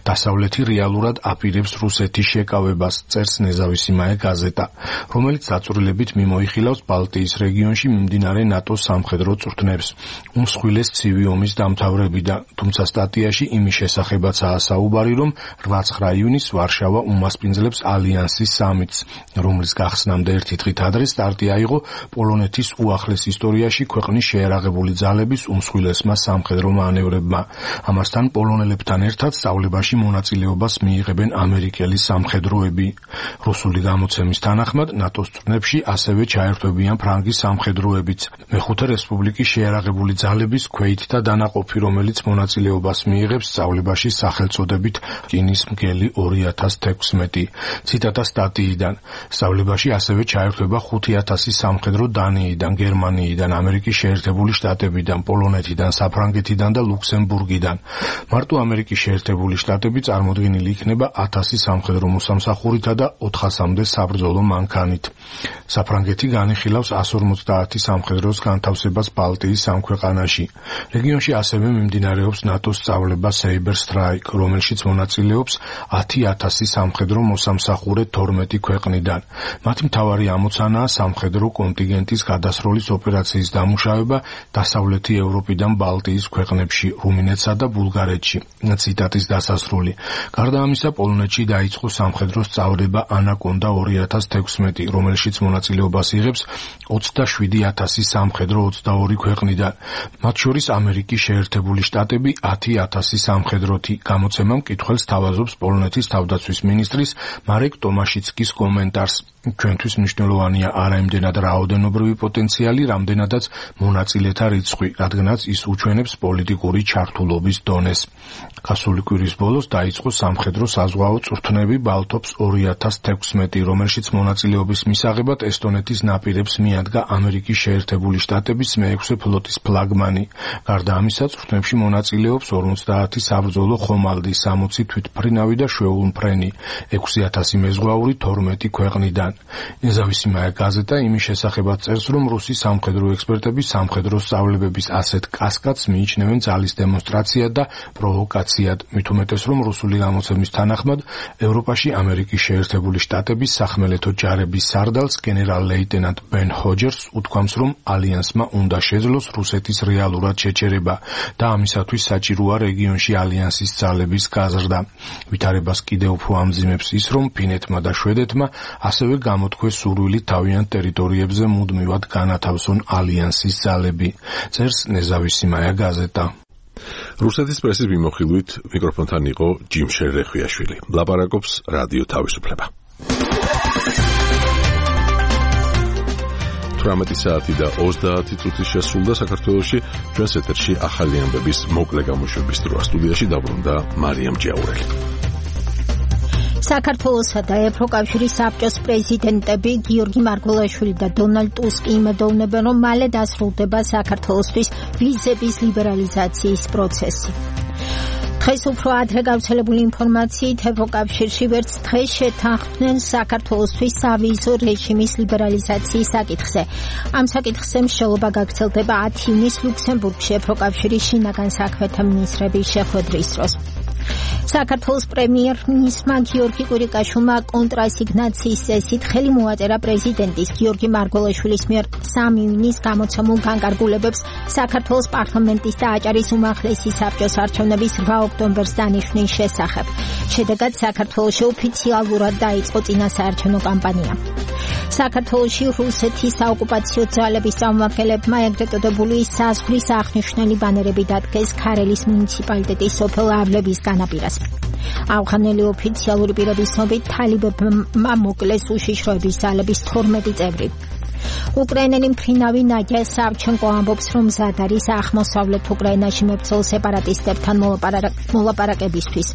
დასავლეთი რეალურად აპირებს რუსეთის შეკავებას, წერს ნეზავისიმაე გაზეტა, რომელიც დაწვრილებით მიმოიხილავს ბალტიის რეგიონში მიმდინარე ნატოს სამხედრო წვრთნებს. უმსხვილეს ცივი ომის დამთავრებიდან, თუმცა სტატიაში იმის შესახებაცაა საუბარი, რომ 8-9 ივნისს ვარშავა უმასპინძლებს ალიანსის სამიტს, რომლის გახსნამდე ერთი დღით ადრე სტარტი აიღო პოლონეთის უახლეს ისტორიაში ქვეყნის შეერაღებული ძალების უმსხვილესმა სამხედრო მანევრებმა. ამასთან პოლონელებთან ერთად სწავლებაში მონაწილეობას მიიღებენ ამერიკელი სამხედროები. რუსული გამოცემის თანახმად, ნატოს წვრთნებში ასევე ჩაერთვებიან ფრანგის სამხედროებიც. მეხუთე რესპუბლიკის შეერაღებული ძალების ქვეითთა დანაყოფი, რომელიც მონაწილეობას მიიღებს სწავლებაში სახელწოდებით რკინის მგელი 2016. ციტატა სტატიიდან. სწავლებაში ასევე ჩაერთვება 5000 სამხედრო დანიიდან, გერმანიიდან, ამერიკის შეერთებული შტატებიდან, პოლონეთიდან, საფრანგეთიდან და ლუქსემბურგიდან. მარტო ამერიკის შეერთებული შტატები წარმოდგენილი იქნება 1000 სამხედრო მოსამსახურითა და 400-მდე საბრძოლო მანქანით. საფრანგეთი განიხილავს 150 სამხედროს განთავსებას ბალტიის 3 ქვეყანაში. რეგიონში ასევე მიმდინარეობს ნატოს სწავლება Saber Strike, რომელშიც მონაწილეობს 10000 სამხედრო მოსამსახურე 12 ქვეყნიდან. მათი მთავარი ამოცანაა სამხედრო კონტინგენტის გადასროლის ოპერაციის დამუშავება დასავლეთი ევროპიდან ბალტიის ქვეყნებში, რუმინეთსა და ბულგარეთში. ციტატის დასასრული. გარდა ამისა, პოლონეთში დაიწყო სამხედრო სწავლება ანაკონდა 2016, რომელშიც მონაწილეობას იღებს 27000 სამხედრო 22 ქვეყნიდან, მათ შორის ამერიკის შეერთებული შტატები 10000 სამხედროთი. გამოცემა მკითხველს თავაზობს პოლონეთის თავდაცვის მინისტრის მარეკ ტომაშიცკის კომენტარს. ჩვენთვის მნიშვნელოვანია არა იმდენად რაოდენობრივი პოტენციალი, რამდენადაც მონაწილეთა რიცხვი, რადგანაც ის უჩვენებს პოლიტიკური ჩართულობის დონეს. გასული კვირის ბოლოს დაიწყო სამხედრო საზღვაო წვრთნები ბალტობს 2016, რომელშიც მონაწილეობის მისაღებად ესტონეთის ნაპირებს მიადგა ამერიკის შეერთებული შტატების მე-6 ფლოტის ფლაგმანი. გარდა ამისა, წვრთნებში მონაწილეობს 50 საბრძოლო ხომალდი, 60 თვითმფრინავი და შვეულმფრენი, 6000 მეზღვაური 12 ქვეყნიდან. ნეზავისიმაე გაზეტა იმის შესახებაც წერს, რომ რუსი სამხედრო ექსპერტები სამხედრო სწავლებების ასეთ კასკადს მიიჩნევენ ძალის დემონსტრაციად და პროვოკაციად. მით უმეტეს, რომ რუსული გამოცემის თანახმად, ევროპაში ამერიკის შეერთებული შტატების სახმელეთო ჯარების სარდალს გენერალ-ლეიტენანტ ბენ ჰოჯერს უთქვამს, რომ ალიანსმა უნდა შეძლოს რუსეთის რეალურად შეჩერება და ამისათვის საჭიროა რეგიონში ალიანსის ძალების გაზრდა. ვითარებას კიდევ უფრო ამძიმებს ის, რომ ფინეთმა და შვედეთმა ასევე გამოთქვეს სურვილი თავიანთ ტერიტორიებზე მუდმივად განათავსონ ალიანსის ძალები. წერს ნეზავისიმაე გაზეტა. რუსეთის პრესის მიმოხილვით მიკროფონთან იყო ჯიმშერ რეხვიაშვილი. ლაპარაკობს რადიო თავისუფლება. 19 საათი და 30 წუთი შესრულდა საქართველოში. ჩვენს ეთერში ახალი ამბების მოკლე გამოშვების დროა. სტუდიაში დაბრუნდა მარიამ ჯიაურელი. საქართველოსა და ევროკავშირის საბჭოს პრეზიდენტები გიორგი მარგველაშვილი და დონალდ ტუსკი იმედოვნებენ, რომ მალე დასრულდება საქართველოსთვის ვიზების ლიბერალიზაციის პროცესი. დღეს უფრო ადრე გავრცელებული ინფორმაციით ევროკავშირში ვერც დღეს შეთანხმდნენ საქართველოსთვის სავიზო რეჟიმის ლიბერალიზაციის საკითხზე. ამ საკითხზე მსჯელობა გაგრძელდება 10 ივნისს ლუქსემბურგში ევროკავშირის შინაგან საქმეთა მინისტრების შეხვედრის დროს. საქართველოს პრემიერ-მინისტრმა გიორგი კვირიკაშვილმა კონტრასიგნაციის წესით ხელი მოაწერა პრეზიდენტის გიორგი მარგველაშვილის მიერ 3 ივნისს გამოცემულ განკარგულებებს საქართველოს პარლამენტის და აჭარის უმაღლესი საბჭოს არჩევნების 8 ოქტომბერს დანიშვნის შესახებ. შედეგად საქართველოში ოფიციალურად დაიწყო წინასაარჩევნო კამპანია. საქართველოში რუსეთის საოკუპაციო ძალების წარმომადგენლებმა ეგრეთ წოდებული საზღვრის აღნიშნული ბანერები დადგეს ქარელის მუნიციპალიტეტის სოფელ ავლების განაპირას. ავღანელი ოფიციალური პირების ცნობით თალიბებმა მოკლეს უშიშროების ძალების 12 წევრი. უკრაინელი მფრინავი ნადია სავჩენკო ამბობს, რომ მზად არის აღმოსავლეთ უკრაინაში მებრძოლ სეპარატისტებთან მოლაპარაკებისთვის.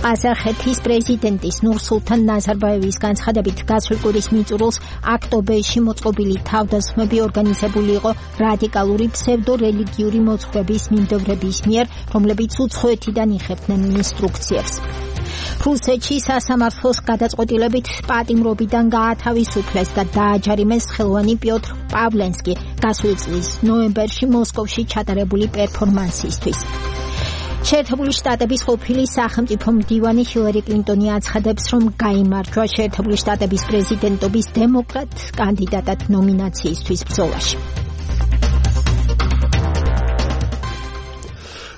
ყაზახეთის პრეზიდენტის ნურსულთან ნაზარბაევის განცხადებით გასულ კვირის მიწურულს აქტობეში მოწყობილი თავდასხმები ორგანიზებული იყო რადიკალური ფსევდორელიგიური მოძღვრების მიმდევრების მიერ, რომლებიც უცხოეთიდან იხებდნენ ინსტრუქციებს. რუსეთში სასამართლოს გადაწყვეტილებით პატიმრობიდან გაათავისუფლეს და დააჯარიმეს ხელოვანი პიოტრ პავლენსკი გასული წლის ნოემბერში მოსკოვში ჩატარებული პერფორმანსისთვის. შეერთებული შტატების ყოფილი სახელმწიფო მდივანი ჰილარი კლინტონი აცხადებს, რომ გაიმარჯვა შეერთებული შტატების პრეზიდენტობის დემოკრატ კანდიდატად ნომინაციისთვის ბრძოლაში.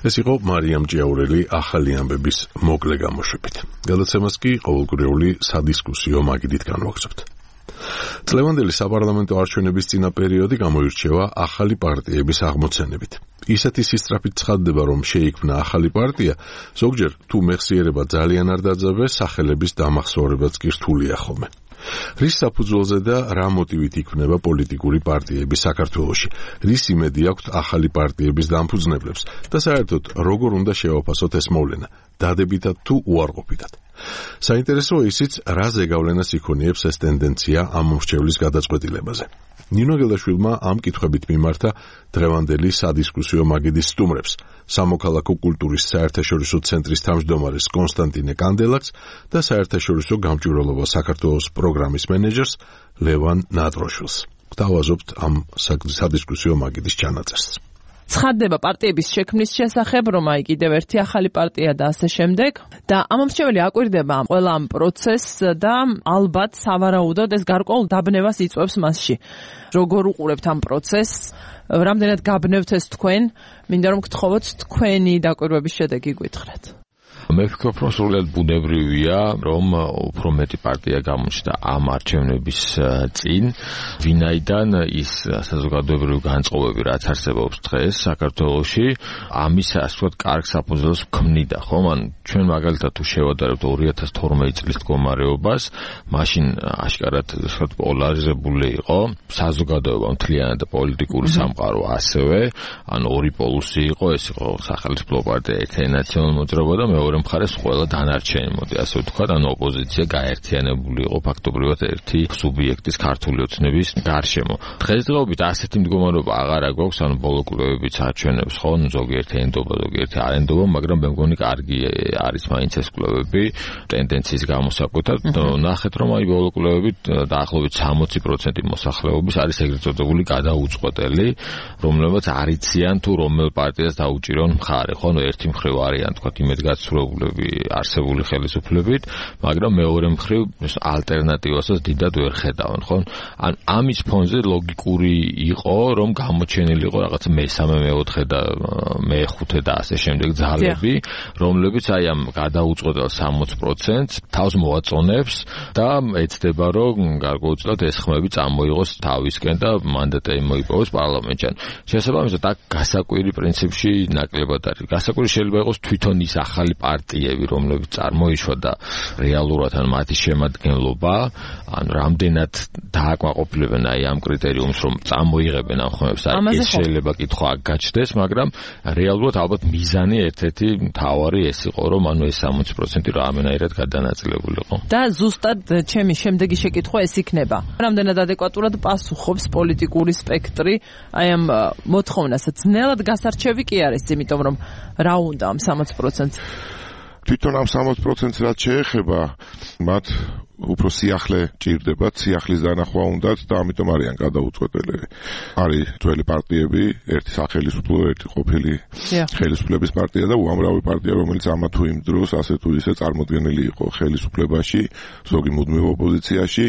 ეს იყო მარიამ ჯიაურელი ახალი ამბების მოკლე გამოშვებით. გადაცემას კი ყოველკვირეული სადისკუსიო მაგიდით განვაგრძობთ. წლევანდელი საპარლამენტო არჩევნების წინა პერიოდი გამოირჩევა ახალი პარტიების აღმოცენებით. ისეთი სისწრაფით ცხადდება, რომ შეიქმნა ახალი პარტია, ზოგჯერ თუ მეხსიერება ძალიან არ დაძაბეს, სახელების დამახსოვრებაც კი რთულია ხოლმე. რის საფუძველზე და რა მოტივით იქმნება პოლიტიკური პარტიები საქართველოში? რის იმედი აქვთ ახალი პარტიების დამფუძნებლებს და საერთოდ როგორ უნდა შევაფასოთ ეს მოვლენა? დადებითად თუ უარყოფითად? საინტერესოა ისიც, რა ზეგავლენას იქონიებს ეს ტენდენცია ამ მომრჩევლის გადაწყვეტილებაზე. ნინო გელაშვილმა ამ კითხვებით მიმართა დღევანდელი სადისკუსიო მაგიდის სტუმრებს, სამოქალაქო კულტურის საერთაშორისო ცენტრის თავმჯდომარეს კონსტანტინე კანდელაკს და საერთაშორისო გამჭვირვალობა საქართველოს პროგრამის მენეჯერს ლევან ნატროშვილს. გთავაზობთ ამ სადისკუსიო მაგიდის ჩანაწერს. ცხადდება პარტიების შექმნის შესახებ, რომ აი კიდევ ერთი ახალი პარტია და ასე შემდეგ. და ამ მომრჩეველი აკვირდება ყველა ამ პროცესს და ალბათ სავარაუდოდ ეს გარკვეულ დაბნევას იწვევს მასში. როგორ უყურებთ ამ პროცესს? რამდენად გაბნევთ ეს თქვენ? მინდა რომ გთხოვოთ თქვენი დაკვირვების შედეგი გითხრათ. მე ვფიქრობ, რომ სრულად ბუნებრივია, რომ უფრო მეტი პარტია გამოჩნდა ამ არჩევნების წინ, ვინაიდან ის საზოგადოებრივი განწყობები, რაც არსებობს დღეს საქართველოში, ამის ასე ვთქვათ, კარგ საფუძველს ქმნიდა, ხო? ან ჩვენ მაგალითად თუ შევადარებთ 2012 წლის მდგომარეობას, მაშინ აშკარად ასე ვთქვათ, პოლარიზებული იყო საზოგადოება მთლიანად და პოლიტიკური სამყარო ასევე, ან ორი პოლუსი იყო, ეს იყო სახელმწიფო პარტია, ერთიანი ნაციონალური მოძრაობა და მეორე მხარეს ყველა დანარჩენი, მოდი ასე ვთქვათ, ან ოპოზიცია გაერთიანებული იყო ფაქტობრივად ერთი სუბიექტის ქართული ოცნების გარშემო. დღესდღეობით ასეთი მდგომარეობა აღარა გვაქვს, ანუ ბოლო კვლევებიც აჩვენებს, ხო, ზოგიერთი ენდობა, ზოგიერთი არ ენდობა, მაგრამ მე მგონი კარგი არის მაინც ეს კვლევები ტენდენციის გამოსაკვეთად. ნახეთ, რომ აი ბოლო კვლევებით დაახლოებით 60% მოსახლეობის არის ეგრეთ წოდებული გადაუწყვეტელი, რომლებიც არ იციან თუ რომელ პარტიას დაუჭირონ მხარე, ხო, ერთი მხრივ არიან, თქვათ, იმედგაცრუებულები არსებული ხელისუფლებით, მაგრამ მეორე მხრივ ალტერნატივასაც დიდად ვერ ხედავენ, ხო? ან ამის ფონზე ლოგიკური იყო, რომ გამოჩენილი იყო რაღაცა მესამე, მეოთხე და მეხუთე და ასე შემდეგ ძალები, რომლებიც აი ამ გადაუწყვეტელ 60%-ს თავს მოაწონებს და ეცდება, რომ გარკვეულწილად ეს ხმები წამოიღოს თავისკენ და მანდატები მოიპოვოს პარლამენტში. შესაბამისად, აქ გასაკვირი პრინციპში ნაკლებად არის. გასაკვირი შეიძლება იყოს თვითონ ის ახალი პარტიები, რომლებიც წარმოიშვა და რეალურად ან მათი შემადგენლობა, ან რამდენად დააკმაყოფილებენ აი ამ კრიტერიუმს, რომ წამოიღებენ ამ ხმებს, აი ეს შეიძლება კითხვა აქ გაჩნდეს, მაგრამ რეალურად ალბათ მიზანი ერთ-ერთი მთავარი ეს იყო, რომ ანუ ეს 60% რამენაირად გადანაწილებულიყო. და ზუსტად ჩემი შემდეგი შეკითხვა ეს იქნება. რამდენად ადეკვატურად პასუხობს პოლიტიკური სპექტრი აი ამ მოთხოვნას? ძნელად გასარჩევი კი არის, იმიტომ რომ რა უნდა ამ 60%-ს? თვითონ ამ 60%-ს რაც შეეხება, მათ უფრო სიახლე ჭირდებათ, სიახლის დანახვა უნდათ და ამიტომ არიან გადაუწყვეტელები. არის ძველი პარტიები, ერთი სახელმწიფო, ერთი ყოფილი ხელისუფლების პარტია და უამრავი პარტია, რომელიც ამა თუ იმ დროს ასე თუ ისე წარმოდგენილი იყო ხელისუფლებაში, ზოგი მუდმივ ოპოზიციაში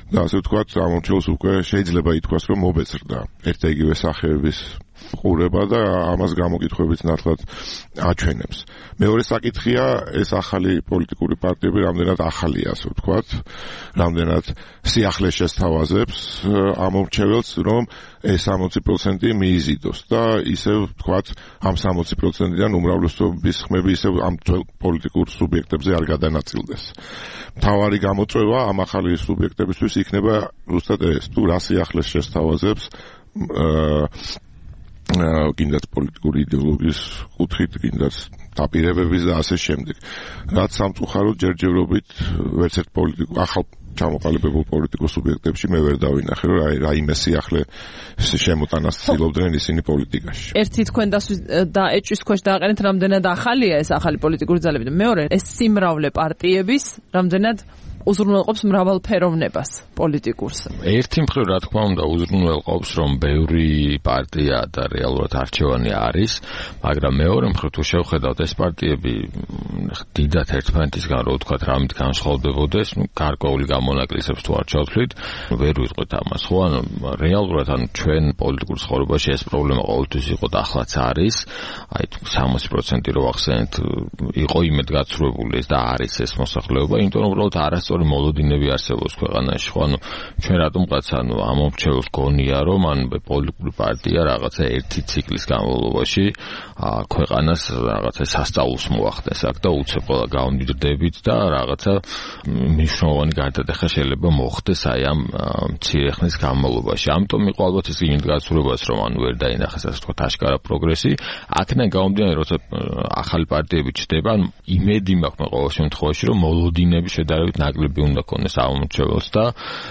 და ასე ვთქვათ, ამომრჩევლს უკვე შეიძლება ითქვას, რომ მობეცრდა ერთ და იგივე სახეების ყურება და ამას გამოკითხვებით ნათლად აჩვენებს. მეორე საკითხია, ეს ახალი პოლიტიკური პარტიები რამდენად ახალია, ასე ვთქვათ, რამდენად სიახლეს შესთავაზებს ამომრჩეველს, რომ ეს 60% მიიზიდოს და ისე ვთქვათ, ამ 60%-დან უმრავლესობის ხმები ისე ამ პოლიტიკურ სუბიექტებზე არ გადანაწილდეს. მთავარი გამოწვევა ამ ახალი სუბიექტებისთვის იქნება ზუსტად ეს, თუ რა სიახლეს შესთავაზებს კიდაც პოლიტიკური იდეოლოგიის კუთხით, კიდაც დაპირებების და ასე შემდეგ. რაც სამწუხაროდ ჯერჯერობით ვერც ერთ ახალ ჩამოყალიბებულ პოლიტიკურ სუბიექტებში მე ვერ დავინახე, რომ რაიმე სიახლე შემოტანას ცდილობდნენ ისინი პოლიტიკაში. ერთი თქვენ და ეჭვის ქვეშ დააყენეთ, რამდენად ახალია ეს ახალი პოლიტიკური ძალები და მეორე ეს სიმრავლე პარტიების რამდენად უზრუნველყოფს მრავალფეროვნებას პოლიტიკურს. ერთი მხრივ რა თქმა უნდა უზრუნველყოფს, რომ ბევრი პარტია და რეალურად არჩევანი არის, მაგრამ მეორე მხრივ თუ შევხედავთ ეს პარტიები დიდად ერთმანეთისგან რო ვთქვათ რამით განსხვავდებოდეს, გარკვეული გამონაკლისებს თუ არ ჩავთვლით, ვერ ვიტყვით ამას, ხო? ანუ რეალურად ანუ ჩვენ პოლიტიკურ ცხოვრებაში ეს პრობლემა ყოველთვის იყო და ახლაც არის. აი 60% რო ახსენეთ, იყო იმედგაცრუებული ეს და არის ეს მოსახლეობა, იმიტომ რომ უბრალოდ არასწორი მოლოდინები არსებობს ქვეყანაში, ხო? ანუ ჩვენ რატომღაც ანუ ამომრჩეველს გონია, რომ ან პოლიტიკური პარტია რაღაცა ერთი ციკლის განმავლობაში ქვეყანას რაღაცა სასწაულს მოახდენს აქ და უცებ ყველა გავამდიდრდებით და რაღაცა მნიშვნელოვანი გარდატეხა შეიძლება მოხდეს აი ამ მცირე ხნის განმავლობაში. ამიტომ იყო ალბათ ის იმედგაცრუებას, რომ ანუ ვერ დაინახეს ასე ვთქვათ აშკარა პროგრესი. აქედან გამომდინარე, როცა ახალი პარტიები ჩდება, ანუ იმედი მაქვს ყოველ შემთხვევაში, რომ მოლოდინები შედარებით ნაკლები უნდა ქონდეს ამომრჩეველს და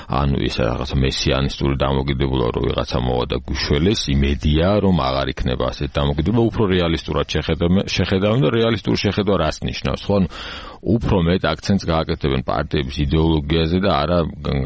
ანუ ეს რაღაცა მესიანისტური დამოკიდებულება რომ ვიღაცა მოვა და გუშველეს, იმედია რომ აღარ იქნება ასეთ დამოკიდებულება, უფრო რეალისტურად შეხედავენ და რეალისტური შეხედვა რას ნიშნავს, ხო? უფრო მეტ აქცენტს გააკეთებენ პარტიების იდეოლოგიაზე და არა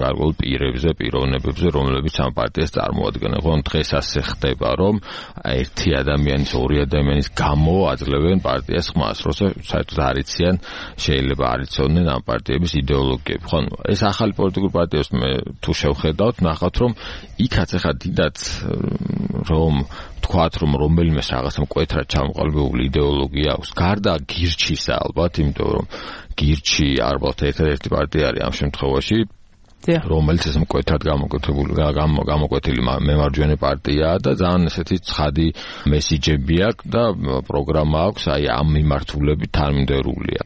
გარკვეულ პირებზე, პიროვნებებზე, რომლებიც ამ პარტიას წარმოადგენენ. ხო, დღეს ასე ხდება, რომ ერთი ადამიანის, ორი ადამიანის გამო აძლევენ პარტიას ხმას, როცა საერთოდ არ იციან, შეიძლება არ იცოდნენ ამ პარტიების იდეოლოგიები. ხო, ეს ახალი პოლიტიკური პარტიებს მე თუ შევხედავთ, ნახავთ, რომ იქაც ახლა დიდად რომ თქვათ, რომ რომელიმეს რაღაცა მკვეთრად ჩამოყალიბებული იდეოლოგია აქვს, გარდა გირჩისა ალბათ, იმიტომ რომ გირჩი ალბათ ერთ-ერთი პარტია არის ამ შემთხვევაში, რომელიც ეს მკვეთრად გამოკვეთილი მემარჯვენე პარტიაა და ძალიან ესეთი ცხადი მესიჯები აქვს და პროგრამა აქვს, აი ამ მიმართულებით თანმიმდევრულია.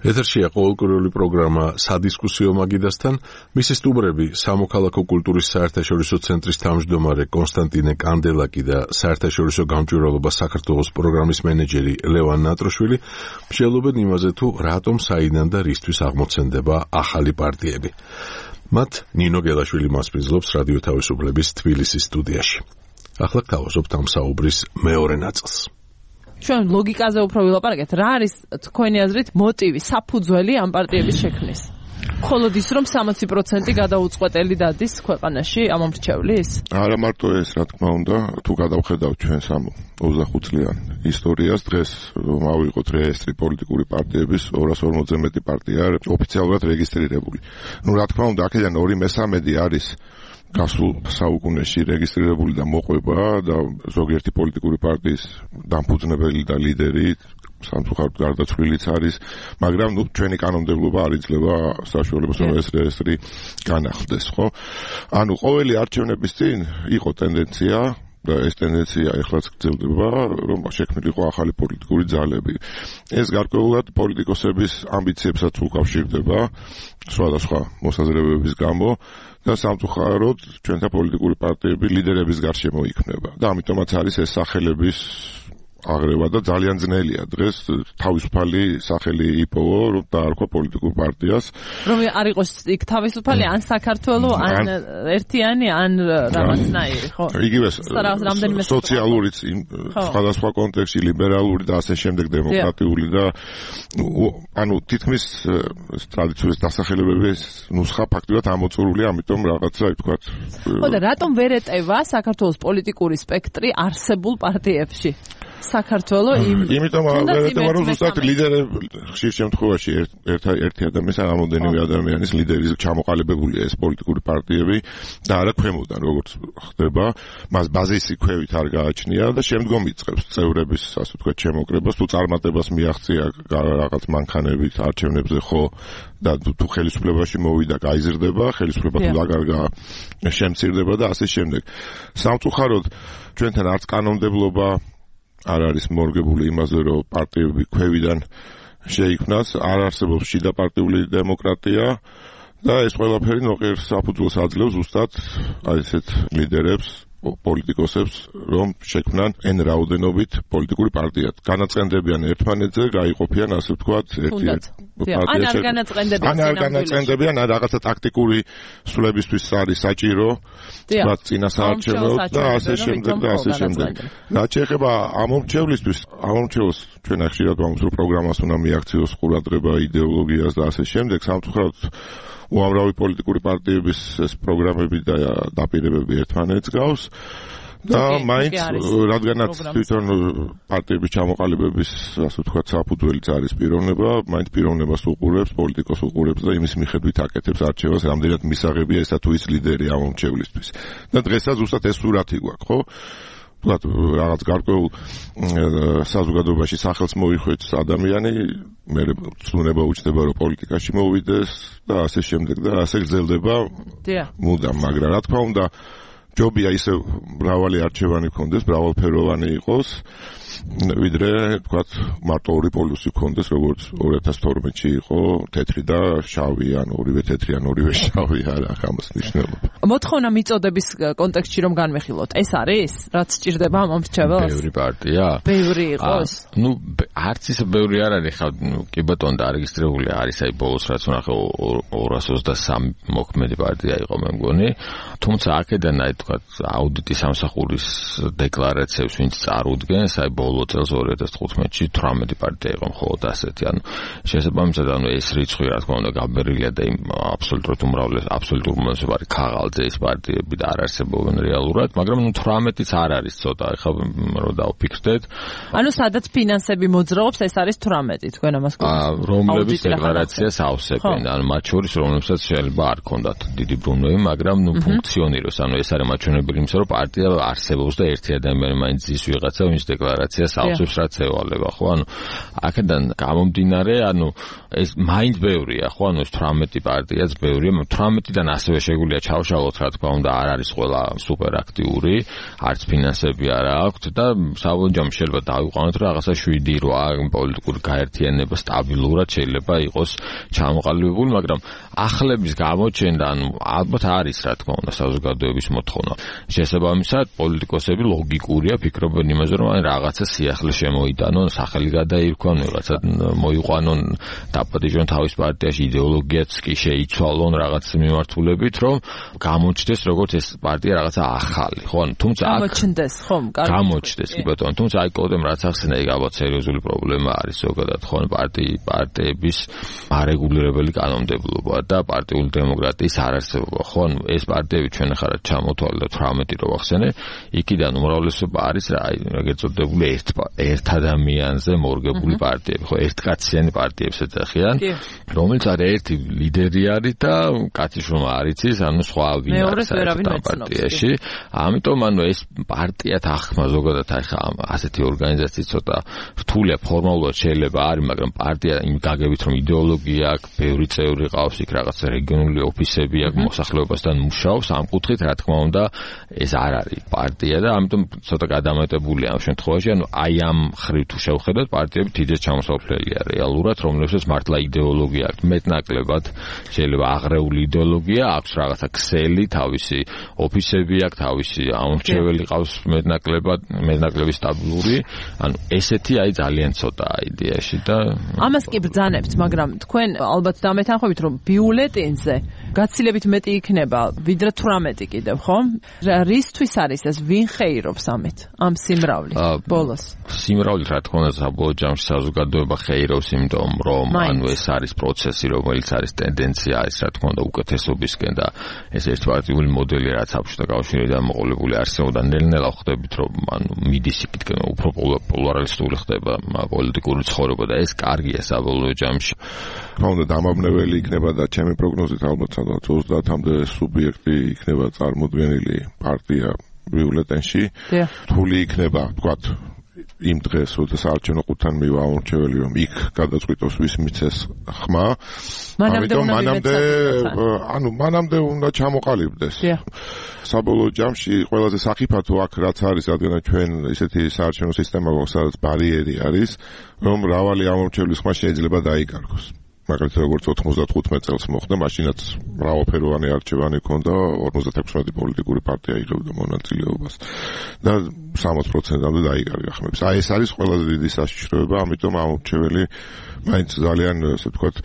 ეთერშია ყოველკვირეული პროგრამა სადისკუსიო მაგიდასთან. მისი სტუმრები სამოქალაქო კულტურის საერთაშორისო ცენტრის თავმჯდომარე კონსტანტინე კანდელაკი და საერთაშორისო გამჭვირვალობა საქართველოს პროგრამის მენეჯერი ლევან ნატროშვილი მსჯელობენ იმაზე, თუ რატომ საიდან და რისთვის აღმოცენდება ახალი პარტიები. მათ ნინო გელაშვილი მასპინძლობს რადიო თავისუფლების თბილისის სტუდიაში. ახლა გავაზობთ ამ საუბრის მეორე ნაწილს. ჩვენ ლოგიკაზე უფრო ვილაპარაკეთ, რა არის თქვენი აზრით მოტივი, საფუძველი ამ პარტიების შექმნის? მხოლოდ ის, რომ 60% გადაუწყვეტელი დადის ქვეყანაში ამომრჩევლის? არა მარტო ეს, რა თქმა უნდა, თუ გადავხედავთ ჩვენს ამ 25 წლიან ისტორიას, დღეს რომ ავიღოთ რეესტრი პოლიტიკური პარტიების 240-ზე მეტი პარტია ოფიციალურად რეგისტრირებული. ნუ რა თქმა უნდა, აქედან 2/3 არის გასულ საუკუნეში რეგისტრირებული და მოყვება და ზოგიერთი პოლიტიკური პარტიის დამფუძნებელი და ლიდერი სამწუხაროდ გარდაცვლილიც არის, მაგრამ ნუ ჩვენი კანონმდებლობა არ იძლევა საშუალებას, რომ ეს რეესტრი განახლდეს, ხო? ანუ ყოველი არჩევნების წინ იყო ტენდენცია და ეს ტენდენცია ეხლაც გრძელდება, რომ შექმნილიყო ახალი პოლიტიკური ძალები. ეს გარკვეულად პოლიტიკოსების ამბიციებსაც უკავშირდება სხვადასხვა მოსაზრებების გამო და სამწუხაროდ ჩვენთა პოლიტიკური პარტიები ლიდერების გარშემო იქმნება და ამიტომაც არის ეს სახელების აღრევა და ძალიან ძნელია დღეს თავისუფალი სახელი იპოვო რომ დაარქვა პოლიტიკურ პარტიას რომ არ იყოს იქ თავისუფალი ან საქართველოს ან ერთიანი ან რაღაცნაირი ხო იგივე სოციალურიც სხვადასხვა კონტექსტში ლიბერალური და ასე შემდეგ დემოკრატიული და ანუ თითქმის ტრადიციული დასახელებების ნუსხა ფაქტობრივად ამოწურულია ამიტომ რაღაცა ვთქვათ ხო და რატომ ვერ ეტევა საქართველოს პოლიტიკური სპექტრი არსებულ პარტიებში საქართველოს იმიტომ რომ ზუსტად ლიდერები ხშირ შემთხვევაში ერთი ადამიანის ან რამოდენიმე ადამიანის ლიდერის ჩამოყალიბებულია ეს პოლიტიკური პარტიები და არა ქვემოდან როგორც ხდება მას ბაზისი ქვევით არ გააჩნია და შემდგომ იწყებს წევრების ასე ვთქვათ შემოკრებას თუ წარმატებას მიაღწია რაღაც მანქანებით არჩევნებზე ხო და თუ ხელისუფლებაში მოვიდა გაიზრდება ხელისუფლება თუ დაგარგა შემცირდება და ასე შემდეგ სამწუხაროდ ჩვენთან არც კანონმდებლობა არ არის მორგებული იმაზე, რომ პარტიები ქვევიდან შეიქმნას, არ არსებობს შიდა პარტიული დემოკრატია და ეს ყველაფერი ნოყიერ საფუძველს აძლევს ზუსტად აი ესეთ ლიდერებს, პოლიტიკოსებს, რომ შექმნან n რაოდენობით პოლიტიკური პარტია. განაწყენდებიან ერთმანეთზე, გაიყოფიან ასე ვთქვათ, ერთ-ერთ ან არ განაწყენდებიან, ან რაღაცა ტაქტიკური სულებისთვის არის საჭირო, ვთქვათ, წინასაარჩევნო და ასე შემდეგ და ასე შემდეგ. რაც შეეხება ამომრჩევლისთვის, ამომრჩევლს ჩვენ ხშირად ვამბობთ, რომ პროგრამას უნდა მიაქციოს ყურადღება იდეოლოგიას და ასე შემდეგ, სამწუხაროდ უამრავი პოლიტიკური პარტიების ეს პროგრამები და დაპირებები ერთმანეთს გავს და მაინც რადგანაც თვითონ პარტიების ჩამოყალიბების ასე ვთქვათ საფუძველიც არის პიროვნება, მაინც პიროვნებას უყურებს, პოლიტიკოს უყურებს და იმის მიხედვით აკეთებს არჩევას, რამდენად მისაღებია ესა თუ ის ლიდერი ამომრჩევლისთვის. და დღესაც ზუსტად ეს სურათი გვაქვს, ხო? ვთქვათ, რაღაც გარკვეულ საზოგადოებაში სახელს მოიხვეჭს ადამიანი, მე ცნუნება უჩნდება რომ პოლიტიკაში მოვიდეს და ასე შემდეგ და ასე გრძელდება მუდამ, მაგრამ რა თქმა უნდა ჯობია ისე მრავალი არჩევანი ქონდეს, მრავალფეროვანი იყოს, ვიდრე ვთქვათ მარტო ორი პოლუსი ქონდეს, როგორც 2012-ში იყო, თეთრი და შავი, ან ორივე თეთრი, ან ორივე შავი, არა, ამას ნიშნულობა. მოთხოვნა მიწოდების კონტექსტში რომ განვიხილოთ, ეს არის, რაც სჭირდება ამომრჩეველს? ბევრი პარტია? ბევრი იყოს? ნუ არც ისე ბევრი არ არის, ხა კი ბატონო დარეგისტრირებული არის, აი ბოლოს რაც ვნახე 223 მოქმედი პარტია იყო მე მგონი, თუმცა აქედან აი თქვათ აუდიტის სამსახურის დეკლარაციებს ვინც წარუდგენს, აი ბოლო წელს 2015-ში 18 პარტია იყო მხოლოდ ასეთი, ანუ შესაბამისად ანუ ეს რიცხვი რა თქმა უნდა გაბერილია და იმ აბსოლუტურ უმრავლესობა არის ქაღალდზე ის პარტიები და არ არსებობენ რეალურად, მაგრამ ნუ 18-იც არ არის ცოტა, ეხლა რომ დავფიქრდეთ. ანუ სადაც ფინანსები მოძრაობს, ეს არის 18, თქვენ ამას გქონდათ. რომლების დეკლარაციას ავსებენ, ანუ მათ შორის რომლებსაც შეიძლება არ ქონდათ დიდი ბრუნვები, მაგრამ ნუ ფუნქციონირებს, ანუ ეს არის მაჩვენებელი იმისა, რომ პარტია არსებობს და ერთი ადამიანი მაინც ის ვიღაცა, ვინც დეკლარაციას ავსებს, რაც ევალება, ხო? ანუ აქედან გამომდინარე, ანუ ეს მაინც ბევრია, ხო? ანუ ეს 18 პარტიაც ბევრია, 18-დან ასევე შეგვიძლია ჩავშალოთ, რა თქმა უნდა, არ არის ყველა სუპერ აქტიური, არც ფინანსები არ აქვთ და საბოლოოდ შეიძლება დავიყვანოთ, რომ რაღაცა 7-8 პოლიტიკური გაერთიანება სტაბილურად შეიძლება იყოს ჩამოყალიბებული, მაგრამ ახლების გამოჩენდა, ანუ ალბათ არის, რა თქმა უნდა, საზოგადოების მოთხოვნა. შესაბამისად, პოლიტიკოსები ლოგიკურია, ფიქრობენ იმაზე, რომ რაღაცა სიახლე შემოიტანონ, სახელი გადაირქვან, რაღაცა მოიყვანონ, დაპატიჟონ თავის პარტიაში, იდეოლოგიაც კი შეიცვალონ რაღაც მიმართულებით, რომ გამოჩნდეს როგორც ეს პარტია რაღაცა ახალი, ხო? ანუ თუმცა გამოჩნდეს, ხო? გამოჩნდეს, კი ბატონო, თუმცა აი კოდემ რაც ახსენა, იქ ალბათ სერიოზული პრობლემა არის ზოგადად, ხო? პარტიების არეგულირებელი კანონმდებლობა და პარტიული დემოკრატიის არარსებობა, ხო? ანუ ეს პარტიები ჩვენ ახლა ჩამოთვალე და 18 რო ვახსენე, იქიდან უმრავლესობა არის რა, ეგრეთ წოდებული ერთ ადამიანზე მორგებული პარტიები, ხო? ერთკაციანი პარტიებს ეძახიან, რომელიც არის ერთი ლიდერი არის და კაციშვილმა არ იცის, ანუ სხვა ვინ არის ამ პარტიაში. ამიტომ ანუ ეს პარტია თანხმა ზოგადად ახლა ასეთი ორგანიზაციის ცოტა რთული შეუძლია ფორმალურად შეიძლება არის, მაგრამ პარტია იმ გაგებით რომ იდეოლოგია აქვს, ბევრი წევრი ყავს, იქ რაღაც რეგიონული ოფისები აქვს, მოსახლეობასთან მუშაობს, ამ კუთხით რა თქმა უნდა ეს არ არის პარტია და ამიტომ ცოტა გადამეტებულია ამ შემთხვევაში, ანუ აი ამ ხრივ თუ შევხედოთ, პარტიები თითქოს ჩამოსავლელია რეალურად, რომლებსაც მართლა იდეოლოგია აქვს, მეტნაკლებად შეიძლება აღრეული იდეოლოგია აქვს, რაღაცა ქსელი, თავისი ოფისები აქვს, თავისი ამორჩეველი ყავს მეტნაკლებად სტაბილური, ანუ ესეთი აი ძალიან ცოტაა იდეაში და ამას კი ბრძანებთ, მაგრამ თქვენ ალბათ დამეთანხმებით, რომ ბიულეტინზე გაცილებით მეტი იქნება, ვიდრე 18 კიდევ, ხო? რისთვის არის ეს, ვინ ხეირობს ამ სიმრავლით ბოლოს? სიმრავლით რა თქმა უნდა საბოლოო ჯამში საზოგადოება ხეირობს, იმიტომ რომ ანუ ეს არის პროცესი, რომელიც არის ტენდენცია არის რა თქმა უნდა უკეთესობისკენ და ეს ერთპარტიული მოდელი რაც საბჭოთა კავშირიდან მოყოლებული არსებობდა, ნელ-ნელა ხვდებით რომ ანუ მიდის იქითკენ უფრო პოლარიზებული ხდება პოლიტიკური ცხოვრება და ეს კარგია საბოლოო ჯამში. რა უნდა დამაბნეველი იქნება და ჩემი პროგნოზით ალბათ 30-მდე სუბიექტი იქნება წარმოდგენილი პარტია ბიულეტენში. რთული იქნება ვთქვათ იმ დღეს, როდის არჩევნო ყუთთან მივა ამორჩეველი, რომ იქ გადაწყვიტოს ვის მიცეს ხმა. ამიტომ მანამდე უნდა ჩამოყალიბდეს. საბოლოო ჯამში ყველაზე სახიფათო აქ რაც არის, რადგან ჩვენ ისეთი საარჩევნო სისტემა გვაქვს, სადაც ბარიერი არის, რომ მრავალი ამორჩევლის ხმა შეიძლება დაიკარგოს. მაგალითად როგორც 95 წელს მოხდა, მაშინაც მრავალფეროვანი არჩევანი ჰქონდა, 56 პოლიტიკური პარტია იღებდა მონაწილეობას და 60%-მდე დაიკარგა ხმებს. აი ეს არის ყველაზე დიდი საშიშროება, ამიტომ ამორჩეველი მაინც ძალიან, ასე ვთქვათ,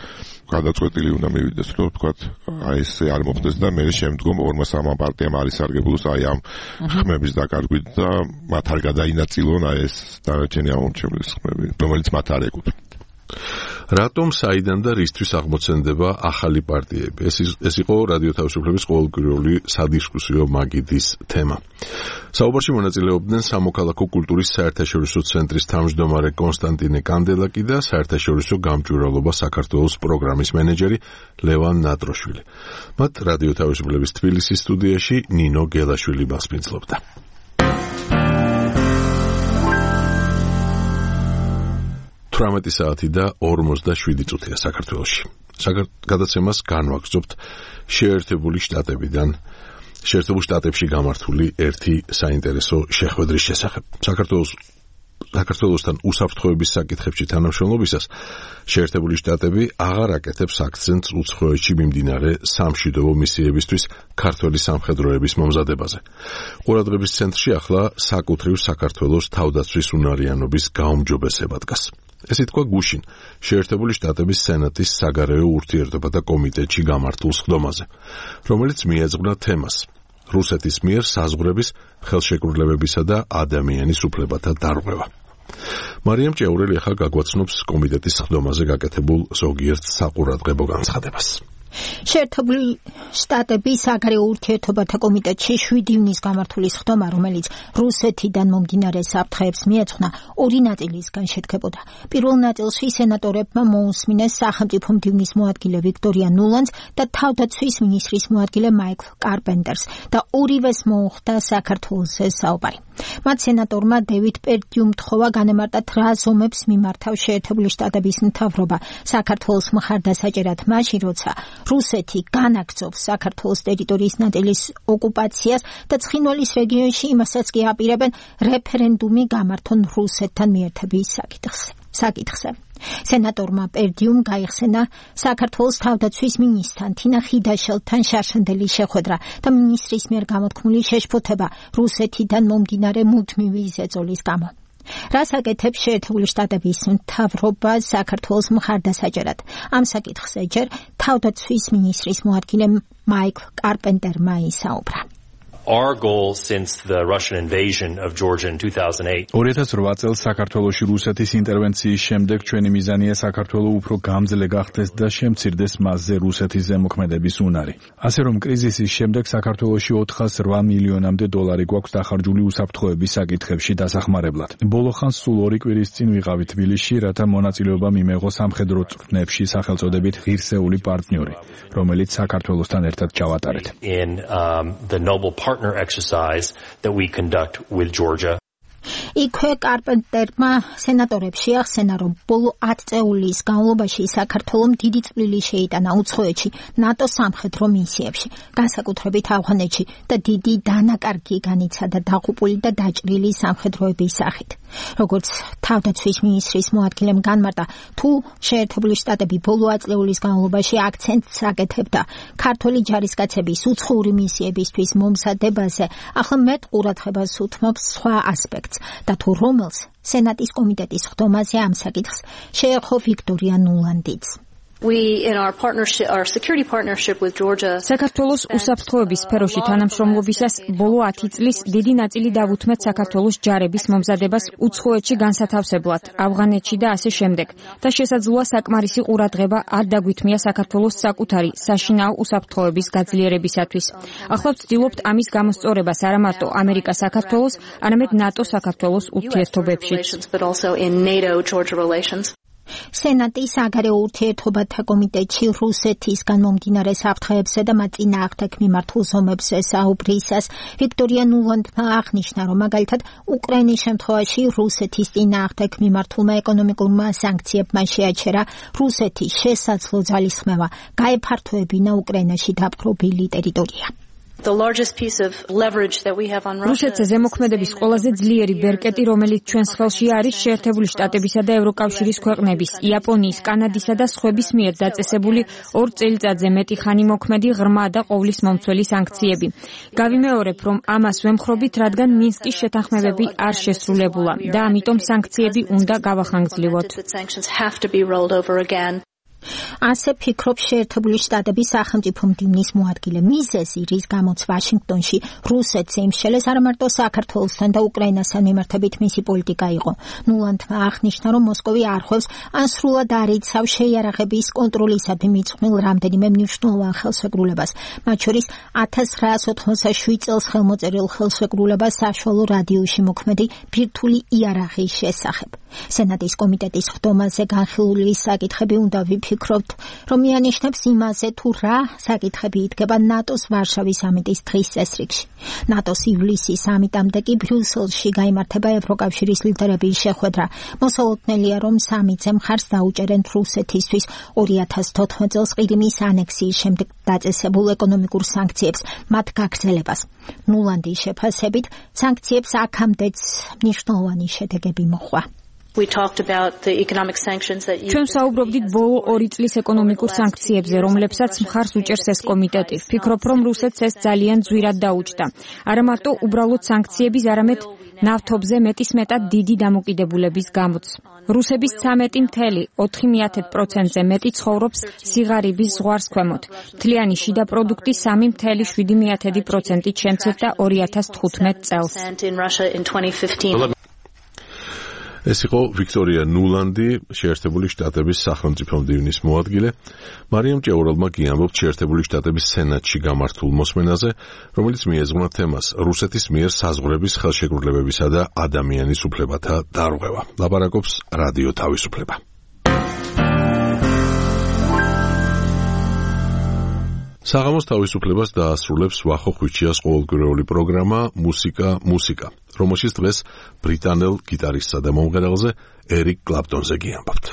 გადაწყვეტილი უნდა მივიდეს, რომ ვთქვათ, აი ეს არ მოხდეს და მე შემდგომ 2-3 პარტიამ არის სარგებლოს აი ამ ხმების დაკარგვით და მათ არ გადაინაწილონ აი ეს დანარჩენი ამორჩევლის ხმები, რომელიც მათ არ ეკუთვნით. რატომ საიდან და რისთვის აღმოცენდება ახალი პარტიები? ეს იყო რადიო თავისუფლების ყოველკვირეული სადისკუსიო მაგიდის თემა. საუბარში მონაწილეობდნენ სამოქალაქო კულტურის საერთაშორისო ცენტრის თავმჯდომარე კონსტანტინე კანდელაკი და საერთაშორისო გამჭვირვალობა საქართველოს პროგრამის მენეჯერი ლევან ნატროშვილი. მათ რადიო თავისუფლების თბილისის სტუდიაში ნინო გელაშვილი მასპინძლობდა. საათი და 47 წუთია საქართველოში. გადაცემას განვაგრძობთ შეერთებული შტატებში გამართული ერთი საინტერესო შეხვედრის შესახებ. საქართველოსთან უსაფრთხოების საკითხებში თანამშრომლობისას შეერთებული შტატები აღარ აკეთებს აქცენტს უცხოეთში მიმდინარე სამშვიდობო მისიებისთვის ქართველი სამხედროების მომზადებაზე. ყურადღების ცენტრში ახლა საკუთრივ საქართველოს თავდაცვის უნარიანობის გაუმჯობესება დგას. ეს ითქვა გუშინ შეერთებული შტატების სენატის საგარეო ურთიერთობათა კომიტეტში გამართულ სხდომაზე, რომელიც მიეძღვნა თემას რუსეთის მიერ საზღვრების ხელშეკრულებებისა და ადამიანის უფლებათა დარღვევა. მარიამ ჭეურელი ახლა გაგვაცნობს კომიტეტის სხდომაზე გაკეთებულ ზოგიერთ საყურადღებო განცხადებას. შეერთებული შტატების საგარეო ურთიერთობათა კომიტეტში 7 ივნისს გამართული სხდომა, რომელიც რუსეთიდან მომდინარე საფრთხეებს მიეძღვნა, ორი ნაწილისგან შედგებოდა. პირველ ნაწილში სენატორებმა მოусმინეს სახელმწიფო მდივნის მოადგილე ვიქტორია ნულანს და თავდაცვის მინისტრის მოადგილე მაიკლ კარპენტერს და ორივეს მოუხდა საქართველოსზე საუბარი. მათ სენატორმა დევიდ პერდიუმ თხოვა განემარტათ რა ზომებს მიმართავს შეერთებული შტატების მთავრობა საქართველოს მხარდასაჭერად მაშინ, როცა რუსეთი განაგრძობს საქართველოს ტერიტორიის ნაწილის ოკუპაციას და ცხინვალის რეგიონში იმასაც კი აპირებენ რეფერენდუმი გამართონ რუსეთთან მიერთების საკითხზე. სენატორმა პერდიუმ გაიხსენა საქართველოს თავდაცვის მინისტრთან თინა ხიდაშელთან შარშანდელი შეხვედრა და მინისტრის მიერ გამოთქმული შეშფოთება რუსეთიდან მომდინარე მუდმივი ზეწოლის გამო. რას აკეთებს შეერთებული შტატების მთავრობა საქართველოს მხარდასაჭერად? ამ საკითხზე ჯერ თავდაცვის მინისტრის მოადგილე მაიკლ კარპენტერმა ისაუბრა. Our goal since the Russian invasion of Georgia in 2008 2008 წელს საქართველოში რუსეთის ინტერვენციის შემდეგ ჩვენი მიზანია საქართველო უფრო გამძლე გახდეს და შემცირდეს მასზე რუსეთის ზემოქმედების უნარი. ასე რომ კრიზისის შემდეგ საქართველოში 408 მილიონამდე დოლარი გვაქვს დახარჯული უსაფრთხოების საკითხებში დასახმარებლად. ბოლო ხანს სულ 2 კვირის წინ ვიყავი თბილისში, რათა მონაწილეობა მიმეღო სამხედრო წვრთნებში სახელწოდებით ღირსეული პარტნიორი, რომელიც საქართველოსთან ერთად ჩავატარეთ. The Noble Partner exercise that we conduct with Georgia. იქვე კარპენტერმა სენატორებს შეახსენა, რომ ბოლო 10 წელის განმავლობაში საქართველომ დიდი წვლილი შეიტანა უცხოეთში ნატოს სამხედრო მისიებში, განსაკუთრებით ავღანეთში და დიდი დანაკარგი განიცადა დაღუპული და დაჭრილი სამხედროების სახით. როგორც თავდაცვის მინისტრის მოადგილემ განმარტა, თუ შეერთებული შტატები ბოლო 10 წლის განმავლობაში აქცენტს აკეთებდა ქართული ჯარისკაცების უცხოური მისიებისთვის მომზადებაზე, ახლა მეტ ყურადღებას უთმობს სხვა ასპექტს და თუ რომელს სენატის კომიტეტის ხდომაზე ამ საკითხს შეეხო ვიქტორია ნულანდიც. საქართველოს უსაფრთხოების სფეროში თანამშრომლობისას ბოლო 10 წლის დიდი ნაწილი დავუთმეთ საქართველოს ჯარების მომზადებას უცხოეთში განსათავსებლად, ავღანეთში და ასე შემდეგ. და შესაძლოა საკმარისი ყურადღება არ დაგვითმია საქართველოს საკუთარი საშინაო უსაფრთხოების გაძლიერებისათვის. ახლა ვცდილობთ ამის გამოსწორებას არა მარტო ამერიკა-საქართველოს, არამედ ნატო-საქართველოს ურთიერთობებშიც. სენატის საგარეო ურთიერთობათა კომიტეტში რუსეთისგან მომდინარე საფრთხეებზე და მათ წინააღმდეგ მიმართულ ზომებზე საუბრისას ვიქტორია ნულანდმა აღნიშნა, რომ მაგალითად უკრაინის შემთხვევაში რუსეთის წინააღმდეგ მიმართულმა ეკონომიკურმა სანქციებმა შეაჩერა რუსეთის შესაძლო ძალისხმევა გაეფართოებინა უკრაინაში დაპყრობილი ტერიტორია. რუსეთზე ზემოქმედების ყველაზე ძლიერი ბერკეტი, რომელიც ჩვენს ხელში არის შეერთებული შტატებისა და ევროკავშირის ქვეყნების, იაპონიის, კანადისა და სხვების მიერ დაწესებული 2 წელიწადზე მეტი ხანი მოქმედი ღრმა და ყოვლის მომცველი სანქციები. გავიმეორებ, რომ ამას ვემხრობით, რადგან მინსკის შეთანხმებები არ შესრულებულა და ამიტომ სანქციები უნდა გავახანგრძლივოთ. ასე ფიქრობს შეერთებული შტატების სახელმწიფო მდივნის მოადგილე. მიზეზი, რის გამოც ვაშინგტონში რუსეთს იმშელეს, არა მარტო საქართველოსთან და უკრაინასთან მიმართებით მისი პოლიტიკა იყო. ნულანდმა აღნიშნა, რომ მოსკოვი არ ხვევს ან სრულად არ იცავს შეიარაღების კონტროლისადმი მიწყვნილ რამდენიმე მნიშვნელოვან ხელშეკრულებას, მათ შორის 1987 წელს ხელმოწერილ ხელშეკრულებას საშუალო რადიუსში მოქმედი ბირთვული იარაღის შესახებ. სენატის კომიტეტის ხდომაზე განხილული საკითხები უნდა ვიფიქროთ, რომ მიანიშნებს იმაზე, თუ რა საკითხები იდგება ნატოს ვარშავის სამიტის დღის წესრიგში. ნატოს ივლისის სამიტამდე კი ბრიუსელში გაიმართება ევროკავშირის ლიდერების შეხვედრა. მოსალოდნელია, რომ სამიტზე მხარს დაუჭერენ რუსეთისთვის 2014 წელს ყირიმის ანექსიის შემდეგ დაწესებულ ეკონომიკურ სანქციებს, მათ გაგრძელებას. ნულანდის შეფასებით, სანქციებს აქამდეც მნიშვნელოვანი შედეგები მოჰყვა. ჩვენ საუბრობდით ბოლო 2 წლის ეკონომიკურ სანქციებზე, რომლებსაც მხარს უჭერს ეს კომიტეტი. ვფიქრობ, რომ რუსეთს ეს ძალიან ძვირად დაუჭდა. არა მარტო უბრალოდ სანქციების, არამედ ნავთობზე მეტისმეტად დიდი დამოკიდებულების გამოც. რუსების 13.4%-ზე მეტი ცხოვრობს სიღარიბის ზღვარს ქვემოთ. მთლიანი შიდა პროდუქტი 3.7%-ით შემცირდა 2015 წელს. ეს იყო ვიქტორია ნულანდი, შეერთებული შტატების სახელმწიფო მდივნის მოადგილე. მარიამ ჭეურალმა კი ამბობს შეერთებული შტატების სენატში გამართულ მოსმენაზე, რომელიც მიეძღვნა თემას რუსეთის მიერ საზღვრების ხელშეკრულებებისა და ადამიანის უფლებათა დარღვევა. ლაპარაკობს რადიო თავისუფლება. საღამოს თავისუფლებას დაასრულებს ვახო ხვიჩიას ყოველკვირეული პროგრამა მუსიკა, რომელშიც დღეს ბრიტანელ გიტარისტსა და მომღერალზე ერიკ კლაპტონზე გიამბობთ.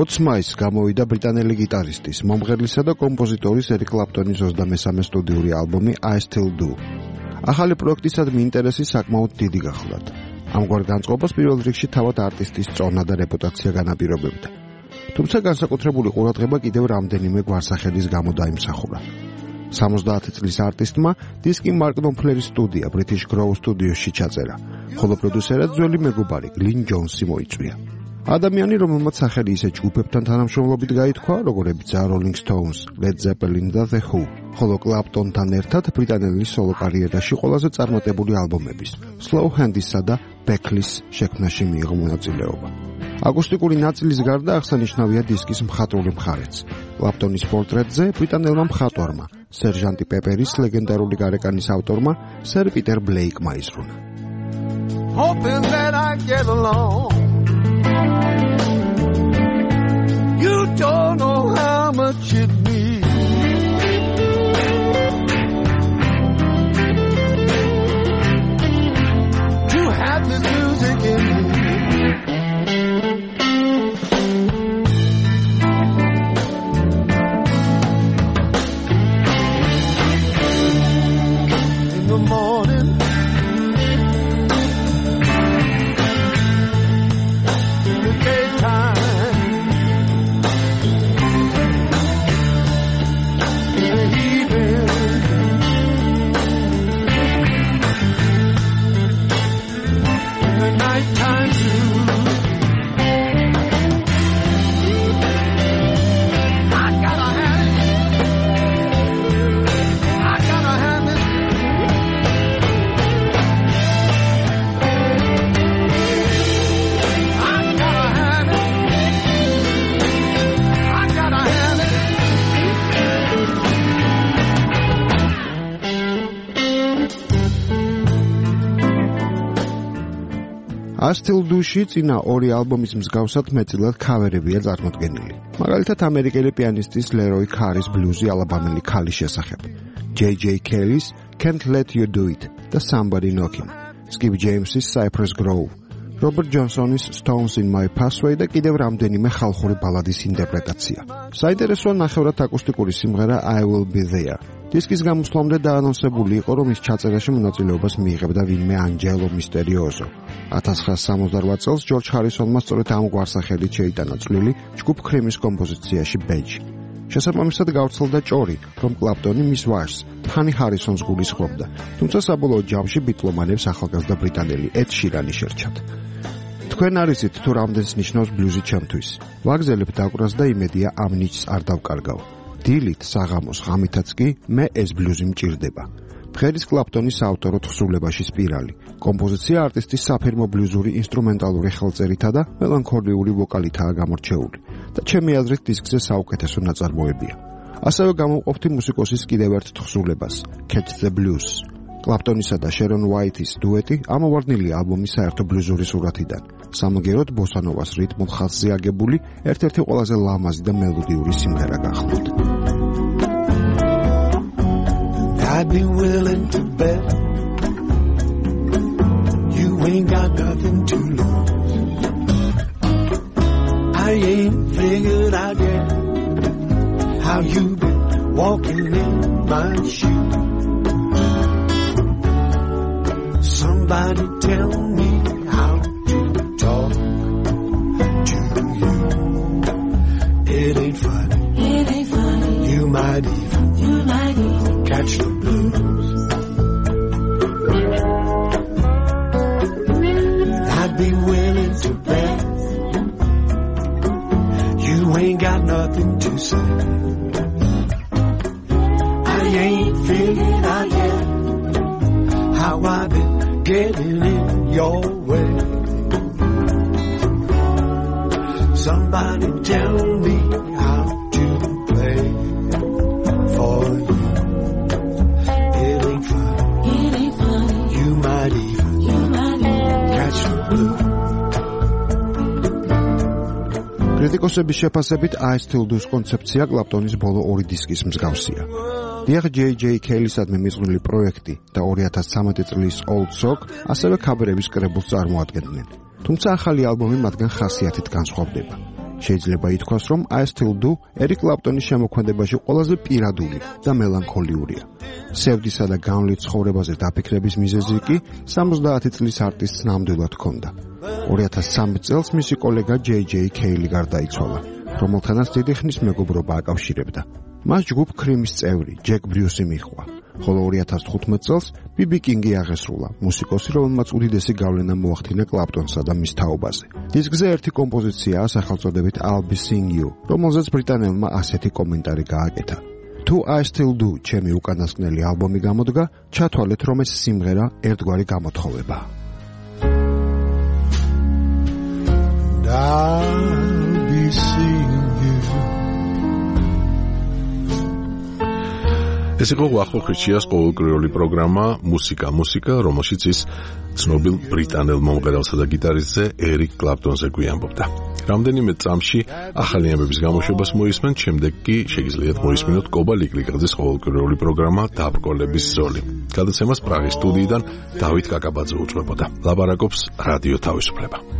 20 მაისს გამოვიდა ბრიტანელი გიტარისტის, მომღერლისა და კომპოზიტორის ერიკ კლაპტონის 23-მე სტუდიური ალბომი I Still Do. ახალი პროექტისადმი ინტერესი საკმაოდ დიდი გახლდათ. ამგვარ განწყობას პირველ რიგში თავად არტისტის წონა და რეპუტაცია განაპირობებდა. თუმცა განსაკუთრებული ყურადღება კიდევ რამდენიმე გვარსახედის გამო დაიმსახურა. 70 წლის არტისტმა დისკი მარკ ნოპფლერის სტუდია British Grove სტუდიოში ჩაწერა, ხოლო პროდიუსერად ძველი მეგობარი გლინ ჯონსი მოიწვია. ადამიანი, რომელმაც სახელი ისეთ ჯგუფებთან თანამშრომლობით გაითქვა, როგორებიცაა Rolling Stones, Led Zeppelin და The Who, ხოლო კლაპტონთან ერთად ბრიტანელი სოლო კარიერაში ყველაზე წარმატებული ალბომების, Slow Hands-ისა და Beckley-ის შექმნაში მიიღო მონაწილეობა. აკუსტიკური ნაწილის გარდა აღსანიშნავია დისკის მხატვრული მხარეც. კლაპტონის პორტრეტზე ბრიტანელმა მხატვარმა, სერჟანტი პეპერის ლეგენდარული გარეკანის ავტორმა, სერ პიტერ ბლეიკმა იზრუნა. Hoping that I get along. You don't know how much it means to have the music in me. In the morning, in the daytime, in the evening, in the nighttime too. I gotta have it. I gotta have it. I gotta have it. I gotta have it. I Still Do-ში წინა ორი ალბომის მსგავსად მეტწილად ქავერებია წარმოდგენილი. მაგალითად, ამერიკელი პიანისტის ლეროი ქარის ბლუზი ალაბამელი ქალის შესახებ, J.J. Kelly's Can't Let You Do It და Somebody Knocking, Skip James's Cypress Grove, Robert Johnson's Stones in My Pathway და კიდევ რამდენიმე ხალხური ბალადის ინტერპრეტაცია. საინტერესოა ნახევრად აკუსტიკური სიმღერა I Will Be There. დისკის გამოსვლამდე დაანონსებული იყო, რომ ის ჩაწერაში მონაწილეობას მიიღებდა ვინმე ანჯელო მისტერიოზო. 1968 წელს ჯორჯ ჰარისონმა სწორედ ამ გვარსახელით შეიტანა წვლილი ჯგუფ ქრიმის კომპოზიციაში Beige. შესაბამისად გავრცელდა ჭორი, რომ კლაპტონი მის ვაჟს, ჰანი ჰარისონს გულისხმობდა, თუმცა საბოლოო ჯამში ბიტლომანებს ახალგაზრდა ბრიტანელი ედ შირანი შერჩათ. თქვენ არიცით თუ რამდენს ნიშნავს ბლუზი ჩემთვის. ვაგზელებ დაკვრას და იმედია ამ ნიჭს არ დავკარგავ. დილით, საღამოს, ღამითაც კი მე ეს ბლუზი მჭირდება. ფხერის კლაპტონის ავტორო თხზულებაში სპირალი. კომპოზიცია არტისტის საფირმო ბლუზური ინსტრუმენტალური ხელწერითა და მელანქოლიური ვოკალითაა გამორჩეული და ჩემი აზრით დისკზე საუკეთესო ნაწარმოებია. ასევე გამოვყოფთ მუსიკოსის კიდევ ერთ თხზულებას, Catch the Blues. კლაპტონისა და შერონ უაითის დუეტი ამოვარდნილია ალბომის საერთო ბლუზური სურათიდან. სამაგეროდ ბოსანოვას რიტმულ ხაზზე აგებული ერთ-ერთი ყველაზე ლამაზი და მელოდიური სიმღერა გახლავთ. I'd be willing to bet you ain't got nothing to lose. I ain't figured out yet how you been walking in my shoes. Somebody tell me how to talk to you. It ain't funny. It ain't funny. You might even catch the blues. I'd be willing to bet you ain't got nothing to say. I ain't figured out yet how I've been getting in your way. Somebody tell me how to play for you. It ain't funny. You might even catch the blues. კრიტიკოსების შეფასებით I Still Do-ს კონცეფცია კლაპტონის ბოლო ორი დისკის მსგავსია. დიახ, J.J. Kelly-სადმი მიზღვნილი პროექტი და 2013 წლის Old Sock ასევე ქაბერების კრებულს წარმოადგენდნენ. თუმცა ახალი ალბომი მათგან ხასიათით განსხვავდება. შეიძლება ითქვას, რომ I Still Do ერიკ კლაპტონის შემოქმედებაში ყველაზე პირადული და მელანქოლიურია. სევდისა და განვლით ცხოვრებაზე დაფიქრების მიზეზი კი 70 წლის არტისტს ნამდვილად ჰქონდა. 2013 წელს მისი კოლეგა J.J. Kelly გარდაიცვალა, რომელთანაც დიდი ხნის მეგობრობა აკავშირებდა. მას ჯგუფ ქრიმის წევრი ჯეკ ბრიუსი მიჰყვა, ხოლო 2015 წელს BB King-ი აღესრულა, მუსიკოსი, რომელმაც უდიდესი გავლენა მოახდინა კლაპტონსა და მის თაობაზე. დისკზე ერთი კომპოზიციაა სახელწოდებით I'll Be Seeing You, რომელზეც ბრიტანელმა ასეთი კომენტარი გააკეთა. თუ I Still Do ჩემი უკანასკნელი ალბომი გამოდგა, ჩათვალეთ, რომ ეს სიმღერა ერთგვარი გამოთხოვებაა. I'll be seeing you. ეს იყო ვახო ხრიჩიას ყოველკვირეული პროგრამა მუსიკა, რომელშიც ის ცნობილ ბრიტანელ მომღერალსა და გიტარისტზე ერიკ კლაპტონზე გვიამბობდა. რამდენიმე წამში ახალი ამბების გამოშვებას მოისმენთ, შემდეგ კი შეგიძლიათ მოისმინოთ კობა ლიკლიკაძის ყოველკვირეული პროგრამა დაბრკოლების ზოლი. გადაცემას პრაღის სტუდიიდან დავით კაკაბაძე უძღვებოდა. ლაპარაკობს რადიო თავისუფლება.